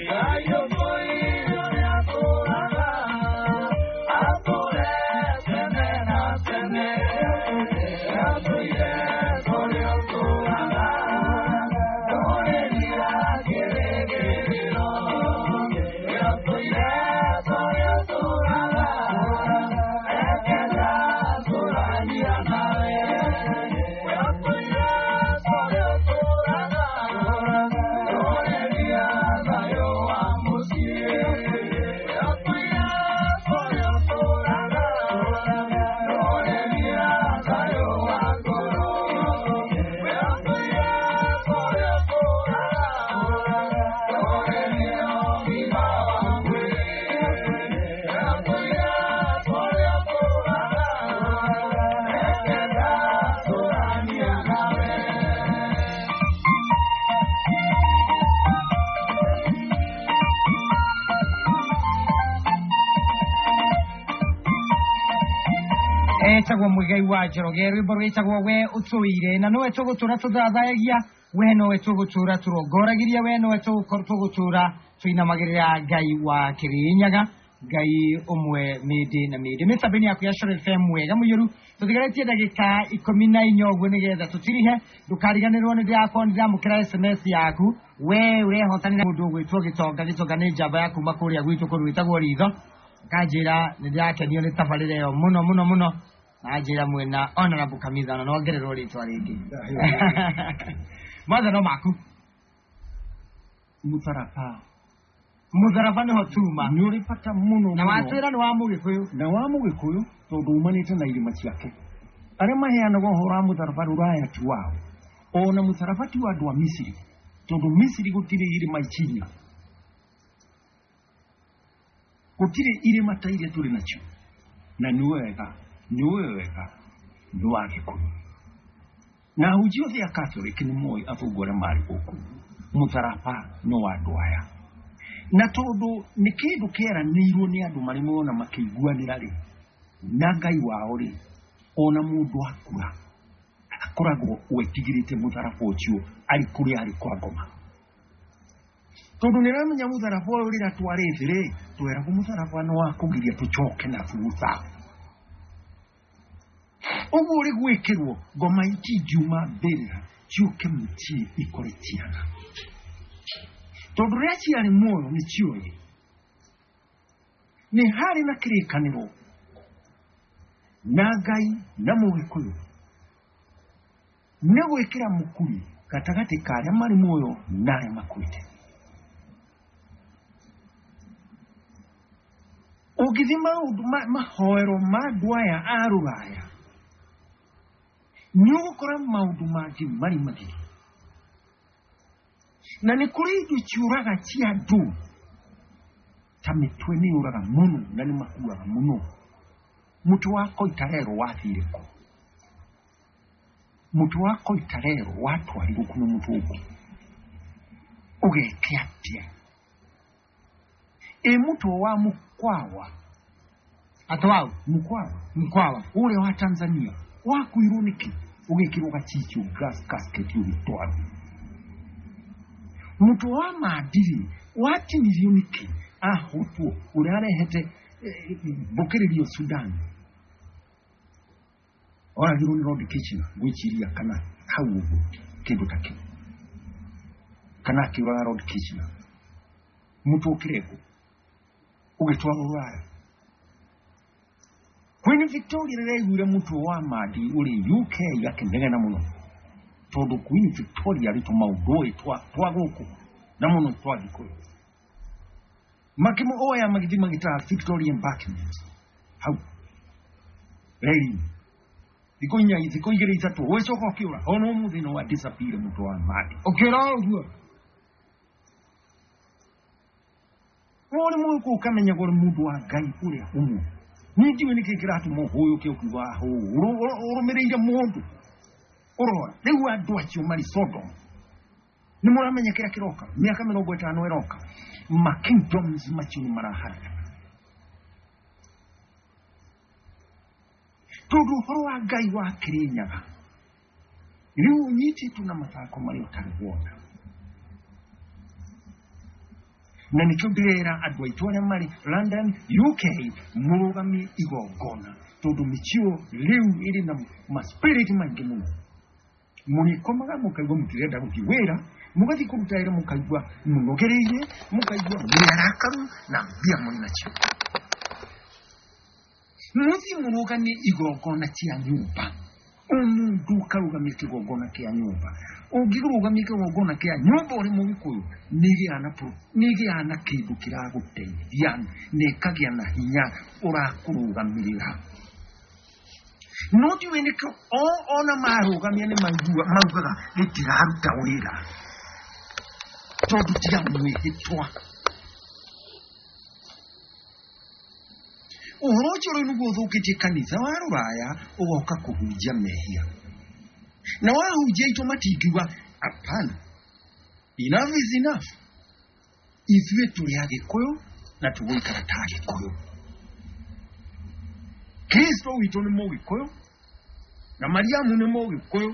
Ngai ũtũire ũrĩa atũũraga, atũũre tene na tene. Atũire ũrĩa ũtũũraga, ndũrĩria kĩrĩgĩrĩro. Atũire ũrĩa ũtũũraga, ekenda tũrania nawe. Atũire ũrĩa ũtũũraga, ndũrĩria thayũ wa mũciĩ. Atũire ũrĩa ũtũũraga, ndũrĩria thayũ wa ngoro. Atũire ũrĩa ũtũũraga, ndũrĩria ũgima wa mwĩrĩ. Atũire ũrĩa ũtũũraga, ekenda tũrania nawe. Etagwo Muigai wa Njoroge, rwimbo rwĩtagwo We Ũtũire, na nowe tũgũtũra tũthathayagia, we nowe tũgũtũra tũrongoragiria, we nowe tũgũtũra tũinamagĩrĩra Ngai wa Kĩrĩnyaga, Ngai ũmwe mĩndĩ na mĩndĩ. Mĩtambo-inĩ yaku ya Coro FM wega mũiyũru, tũtigarĩtie ndagĩka 14 ũguo nĩgetha tũtirihe. Ndũkariganĩrwo nĩ ndĩrakorwo nĩndĩramũkĩra SMS yaku, we ũrehotanĩra mũndũ ũgwĩtwo Gĩtonga. Gĩtonga nĩ njamba ya kuma kũrĩa gwitũ kũndũ gwĩtagwo Ritho. Kanjĩra nĩ ndĩrakenio nĩ tabarĩra ĩyo mũno mũno mũno, na njĩra mwena Honorable Kamitha, na nongererwo rĩtwa rĩngĩ. Mothe no maku. Mũtharaba. Mũtharaba nĩho tuma. Nĩ ũrĩ bata mũno na mũno. Watwĩra nĩ wa Mũgĩkũyũ. Na wa Mũgĩkũyũ tondũ umanĩte na irĩma ciake. Arĩa maheanaga ũhoro wa mũtharaba rũraya ti wao, ona mũtharaba ti wa andũ a Misiri, tondũ Misiri gũtirĩ irĩma ikinya, gũtirĩ irĩma ta iria tũrĩ nacio. Na nĩ wega, nĩ wega nĩ wa Gĩkũyũ. Na ahunjia othe a Catholic nĩ moĩ athũngũ arĩa marĩ gũkũ, mũtharaba nĩ wa andũ aya. Na tondũ nĩ kĩndũ kĩeranĩirwo nĩ andũ marĩ mona makĩiguanĩra rĩ na Ngai wao rĩ, ona mũndũ akua akoragwo wetigĩrĩte mũtharaba ũcio arĩ kũrĩa arĩ kwa ngoma, tondũ nĩ aramenya mũtharaba ũyũ rĩrĩa twarĩ thĩ rĩ, tweragwo mũtharaba nĩ wa kũgiria tũcoke na thutha. Ũguo ũrĩ gwĩkĩrwo ngoma itingiuma mbĩrĩra ciũke mũciĩ ikore ciana, tondũ rĩrĩa ciarĩ muoyo nĩ cioĩ nĩ harĩ na kĩrĩkanĩro na Ngai na Mũgĩkũyũ nĩ gwĩkĩra mũkuri gatagatĩ ka arĩa marĩ muoyo na arĩa makuĩte. Ũngĩthiĩ maũndũ mahoero ma andũ aya a rũraya, nĩ ũgũkora maũndũ mangĩ marĩ magiri, na nĩ kũrĩ indo ciũraga cia andũ ta mĩtwe nĩ yũraga mũno na nĩ makuaga mũno. Mũtwe wa Koitarero wathire kũ? Mũtwe wa Koitarero watwarirwo kũ nĩ mũthũngũ? Ũgeke atĩa? Ĩ mũtwe wa Mkwawa, Atwau Mkwawa Mkwawa ũrĩa wa Tanzania wakuirwo nĩkĩ? Ũgĩkĩrwo gacicio gas casket ũgĩtwarwo. Mũtwe wa Mandiri watinirio nĩkĩ? Ahotwo ũrĩa arehete mbũkĩrĩrio Sudan, oragirwo nĩ Lord Kitchener ngwĩciria, kana hau ũguo kĩndũ ta kĩu, kana akĩũraga Lord Kitchener. Mũtwe ũkĩrengwo ũgĩtwarwo Rũraya. Queen Victoria rĩrĩa aiguire mũtwe wa Madi ũrĩ UK akĩnegena mũno, tondũ Queen Victoria arĩ tũmaũndũ ũĩ twa gũkũ na mũno twa Gĩkũyũ. Makĩmuoya magĩthiĩ magĩtara Victoria Embankment hau reri thikũ inya, thikũ igĩrĩ ithatũ, ũgĩcoka ũkĩũra. Ona ũmũthĩ no disappear mũtwe wa Madi. Ũkĩũra ũguo. Ũrĩ mũgĩkũyũ ũkamenya ũrĩ mũndũ wa Ngai ũrĩa ũmwe. Niĩ ndiũĩ nĩkĩ kĩratũma ũhũyũke ũkiuga hũ ũrũmĩrĩire mũndũ ũrora. Rĩu andũ acio marĩ Sodom nĩ mũramenya kĩrĩa kĩroka mĩaka 50 ĩroka, ma kingdoms macio nĩ maraharagana, tondũ ũhoro wa Ngai wa Kĩrĩnyaga rĩu ũnyitĩtwo na mathako marĩa ũtarĩ wona. Na nĩkĩo ndĩrera andũ aitũ arĩa marĩ London, UK, mũrũgamie igongona, tondũ mĩciũ rĩu ĩrĩ na maspirit maingĩ mũno. Mũrĩkomaga mũkaigua mũtirenda gũthiĩ wĩra, mũgathiĩ kũruta wĩra mũkaigua mũnogereire, mũkaigua mũrĩ arakaru na mbia mũrĩ nacio. Mũthiĩ mũrũgamie igongona cia nyũmba. O mũndũ ũkarũgamia kĩgongona kĩa nyũmba. Ũngĩrũgamia kĩgongona kĩa nyũmba ũrĩ mũgĩkũyũ, nĩ ĩgĩaga na kĩndũ kĩragũteithia na ĩkagĩa na hinya ũrakũrũgamĩrĩra. No ndiũĩ nĩkĩo ona marũgamia nĩ maugaga gĩtiraruta wĩra, tondũ tiga mwĩhĩtwa. Ũhoro ũcio rĩu nĩguo ũthũkĩtie kanitha wa rũraya, ũgoka kũhunjia mehia. Na wahunjia itũ matingiuga hapana, enough is enough. Ithuĩ tũrĩ Agĩkũyũ na tũgũikara ta Agĩkũyũ. Kristo witũ nĩ Mũgĩkũyũ na Mariamu nĩ Mũgĩkũyũ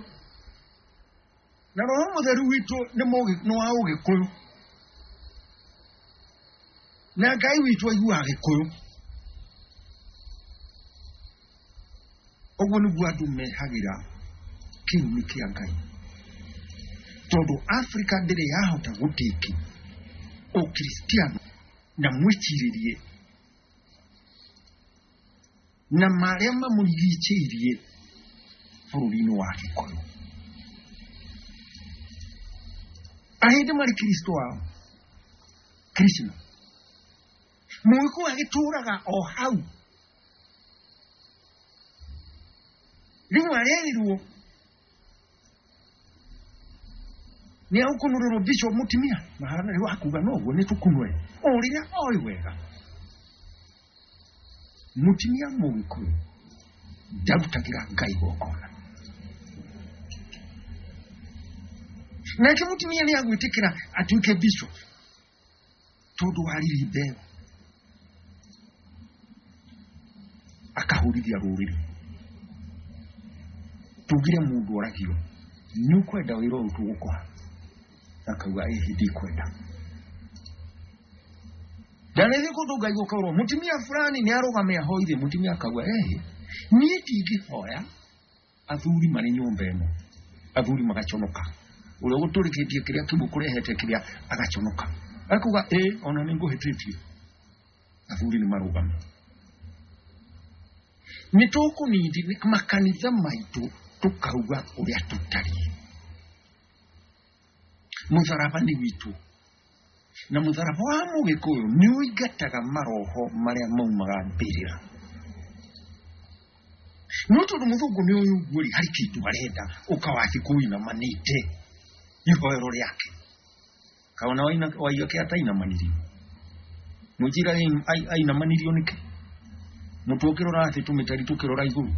na Roho Mũtheru witũ nĩ wa Ũgĩkũyũ na Ngai witũ aiguaga Gĩkũyũ. Ũguo nĩguo andũ mehagĩra kĩrumi kĩa Ngai, tondũ Afrika ndĩrĩ yahota gũtĩki Ũkristiano na mwĩcirĩrie na marĩa mamũrigicĩirie bũrũri-inĩ wa Gĩkũyũ. Ahĩndĩ marĩ Kristo wao Krishna, Mũgĩkũyũ agĩtũraga o hau. Rĩu arerirwo nĩ agũkunũrĩrwo bishop mũtumia na harĩa rĩu akuga noguo nĩ tũkunũre o rĩrĩa oĩ wega mũtumia Mũgĩkũyũ ndarutagĩra Ngai igongona. Nake mũtumia nĩ agwĩtĩkĩra atuĩke bishop tondũ wa riri mbeo, akahũrithia rũrĩrĩ. Tugire mũndũ oragio nĩ ũkwenda wĩra ũyũ tũgũkũha, akauga ĩhĩ ndikwenda. Ndanathiĩ kũndũ ngaigua kaurwo mũtumia fulani nĩ arũgame ahoithe, mũtumia akauga ĩhĩ niĩ ndingĩhoya athuri marĩ nyũmba ĩno. Athuri magaconoka, ũrĩa ũgũtũrĩkĩtie kĩrĩa kĩmwe kũrehete kĩrĩa agaconoka, akauga ĩ ona nĩ ngũhĩtĩtie. Athuri nĩ marũgame. Nĩ tũkũnindi makanitha maitũ tũkauga ũrĩa tũtariĩ. Mũtharaba nĩ witũ, na mũtharaba wa Mũgĩkũyũ nĩ ũingataga maroho marĩa maumaga mbĩrĩra. No tondũ mũthũngũ nĩ ũyũ ũguo rĩ, harĩ kĩndũ arenda ũkawathi kũinamanĩte ihoero rĩake. Kaona waiyake atainamanirio, mũnjira ainamanirio nĩkĩ? Mũtwe ũkĩrora thĩ, tũmĩtari tũkĩrora igũrũ,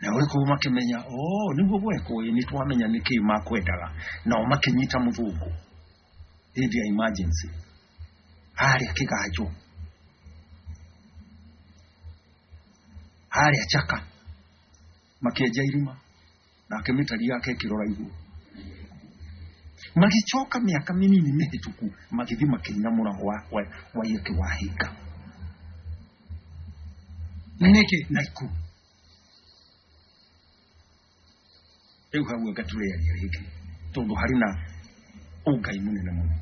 na ũrĩkũ makĩmenya oh nĩguo gwekwo, ĩ nĩ twamenya nĩkĩ makwendaga. Nao makĩnyita mũthũngũ hĩndĩ ya emergency harĩa kĩganjo, harĩa Chaka, makĩenja irima nake mĩtari yake ĩkĩrora igũrũ. Magĩcoka mĩaka mĩnini mĩhĩtũku magĩthiĩ makĩina mũrago wa Waiyaki Wahinga. Nĩkĩ? Naikuru. Rĩu hau anga tũrĩaria rĩngĩ, tondũ harĩ na ũngai mũnene mũno.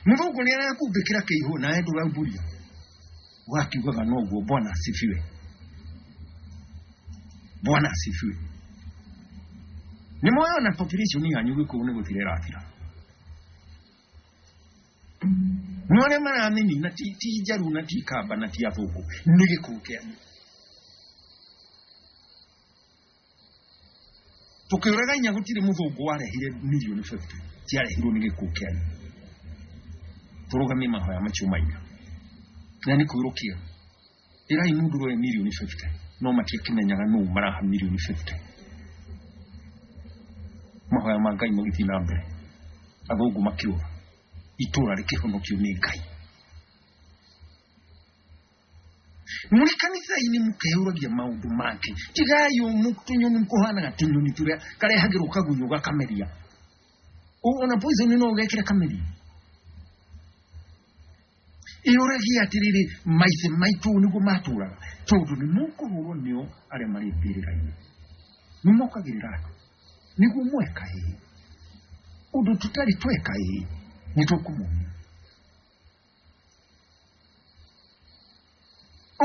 Mũthũngũ nĩ arakumbĩkĩra kĩihũ nawe ndũraumbũria, wakiugaga noguo Bwana asifiwe, Bwana asifiwe. Nĩ moyona population yanyu Gĩkũyũ nĩ gũthira ĩrathira. Nĩ arĩa maramĩnina ti njaru na ti kamba na ti athũngũ, nĩ Gĩkũyũ kĩanyu. Tũkĩũraga inya gũtirĩ mũthũngũ warehire mirioni 50, ciarehirwo nĩ Gĩkũyũ kĩanyu. Tũrũgamie mahoya macio maina na nĩ kwĩrũkia. Ĩrai mũndũ roe mirioni 50, no matiakĩmenyaga nũ maraha mirioni 50. Mahoya ma Ngai magĩthiĩ na mbere, athũngũ makĩũra, itũra rĩkĩhonokio nĩ Ngai. Mũrĩ kanitha-inĩ mũkeyũragia maũndũ mangĩ, tigai tũnyoni kũhanaga tũnyoni tũrĩa karehagĩrwo kagunyũ gakameria. Ona poison no ũgekĩra kamĩri ĩũragia atĩrĩrĩ maithe maitũ nĩguo matũraga tondũ nĩ mũkũhũrwo nĩo arĩa marĩ mbĩrĩra-inĩ nĩ mokagĩrĩra andũ nĩguo mweka ĩĩ ũndũ tũtarĩ tweka ĩĩ nĩ tũkũmuonia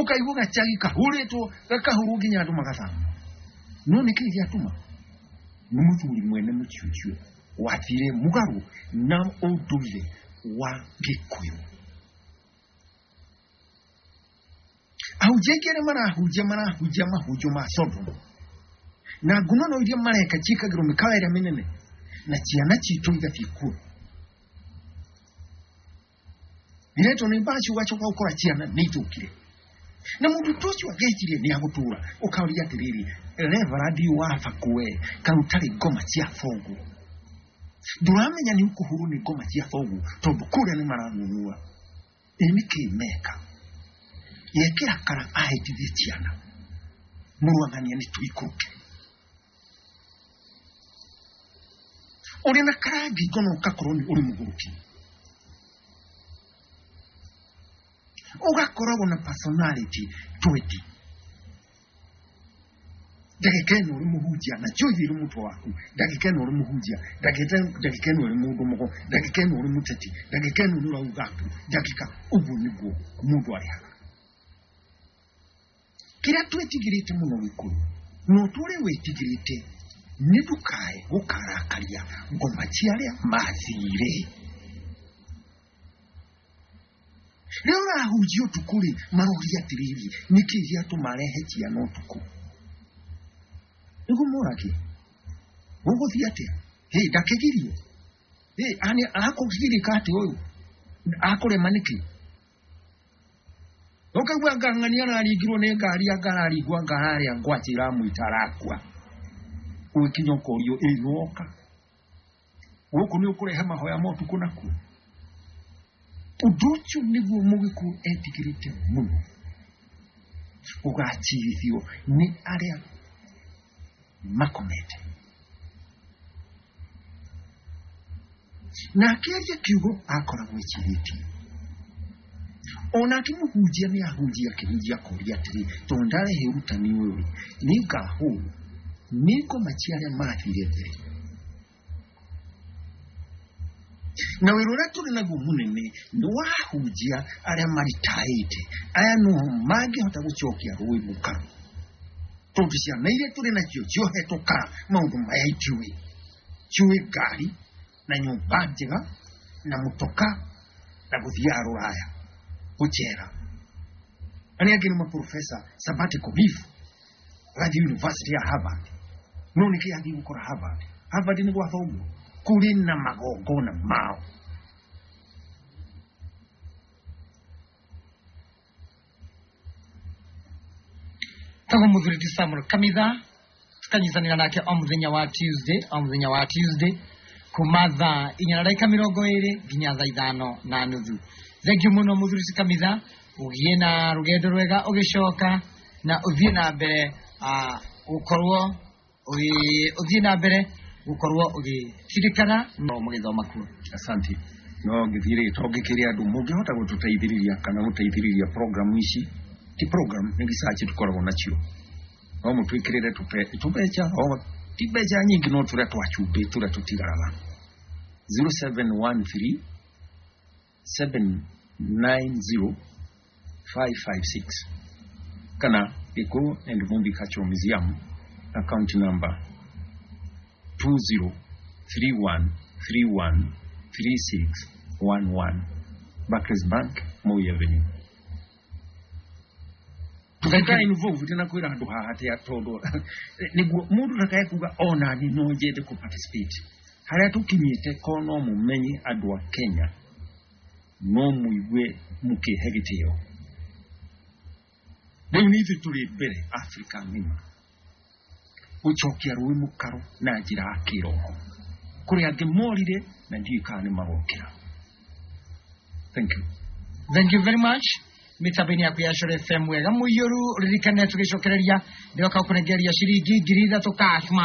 ũkaigua gacagi kahũrĩtwo gakahũrwo nginya andũ magathama no nĩkĩĩ gĩatũma nĩ mũthuri mwene mũciũciũ wathire mũgarũ na ũndũire wa Gĩkũyũ. Ahunjia aingĩ arĩa marahunjia marahunjia mahunjio ma Sodom na ngunono iria mareka ciĩkagĩrwo mĩkawa ĩrĩa mĩnene na ciana citũ igathiĩ kuo iretwo nĩ mbaci ũgacoka ũkora ciana nĩ ithũkire na mũndũ ta ũcio angĩciria nĩ agũtũra ũkaũria atĩrĩrĩ reverend wa bakwe kaĩ ũtarĩ ngoma cia thoguo ndũramenya nĩ ũkũhũrwo nĩ ngoma cia thoguo tondũ kũrĩa nĩ maranunua ĩ nĩkĩ meka yekĩra kara ahĩtithie ciana mũrũang'ania nĩ tũikũrũke ũrĩ na kara ngingo na ũgakorwo nĩ ũrĩ mũgũrũki ũgakoragwo na personality 20 ndagĩka ĩno ũrĩ mũhunjia na njohi ĩrĩ mũtwe waku ndagĩka ĩno ũrĩ mũhunjia ndagĩka ĩno ũrĩ mũndũ mũgo ndagĩka ĩno ũrĩ mũteti ndagĩka ĩno nĩ ũrauga mbu ndagĩka ũguo nĩguo mũndũ arĩhaga kĩrĩa twĩtigĩrĩte mũno Gĩkũyũ na ũtũre wĩtigĩrĩte nĩ ndũkae gũkarakaria ngoma cia arĩa mathire rĩrĩa ũrahunjia ũtukũ rĩ maroria atĩrĩrĩ nĩkĩ gĩatũma arehe ciana ũtukũ nĩguo morage gũgũthiĩ atĩa hĩ ndakĩgirio hĩ akũgirĩka atĩ ũyũ akũrema nĩkĩ ũkaigua ngang'ania araringirwo nĩ ngari anga araringwo anga harĩa ngwacĩ iramwĩta arakua ũgĩkinya ũkorio ĩ nĩwoka gũkũ nĩ ũkũrehe mahoya ma ũtukũ nakuo ũndũ ũcio nĩguo Mũgĩkũyũ etigĩrĩte mũno ũgacirithio nĩ arĩa makomete na akĩaria kiugo akoragwo ecirĩtie onake mũhunjia nĩ ahunjia akĩhunjia akoria atĩrĩ tondũ ndarehe ũrutani ũyũ rĩ nĩ ngahũrwo nĩ ngoma cia arĩa mathire mbere na wĩra ũrĩa tũrĩ naguo mũnene nĩ wahunjia arĩa maritaĩte aya no mangĩhota gũcokia rũĩ mũkaro tondũ ciana iria tũrĩ nacio ciohetwo kara maũndũ maya itiũĩ ciũĩ ngari na nyũmba njega na mũtoka na gũthiaga rũraya gũcera arĩa angĩ nĩ maprofesa sabbatical leave agathiĩ university ya Harvard no nĩkĩ athiĩ gũkora Harvard Harvard nĩ gwa thoguo kũrĩ na magongona mao Tagwo mũthuri ti Samuel Kamitha tukanyitanĩra nake o mũthenya wa Tuesday o mũthenya wa Tuesday kuma thaa inya na ndagĩka mĩrongo ĩrĩ nginya thaa ithano na nuthu. Thank you mũno mũthuri ti Kamitha, ũgĩe na rũgendo rwega ũgĩcoka na ũthiĩ na mbere gũkorwo ũthiĩ na mbere gũkorwo ũgĩririkana no mũgĩthoma kuo. Asante. No ngĩthiĩ rĩ to ngĩkĩre andũ mũngĩhota gũtũteithĩrĩria kana gũteithĩrĩria program ici ti program nĩ research tũkoragwo nacio no mũtwĩkĩrĩre tũbeca o ti mbeca nyingĩ no tũrĩa twa cumbĩ tũrĩa tũtigaraga 0713 790 556 kana Gĩkũyũ and Mumbi Cultural Museum account number 2031313611 Barclays Bank, Moi Avenue. Tũgeka involved na kwĩra andũ haha atĩa tondũ nĩguo mũndũ ndakae kuga ona niĩ no nyende kũ participate harĩa tũkinyĩte ko no mũmenye andũ a Kenya no mũigue mũkĩhe gĩtĩo rĩu nĩ ithuĩ tũrĩ mbere Afrika ng'ima gũcokia rũĩ mũkaro na njĩra ya kĩroho kũrĩ angĩ morire na ndiũĩ kana nĩ magokĩra. Thank you. Thank you very much. Mĩtambo-inĩ yaku ya Coro FM wega mũiyũru ririkane tũgĩcokereria ndĩroka gũkũnengeria ciringi 3,000 cash ma.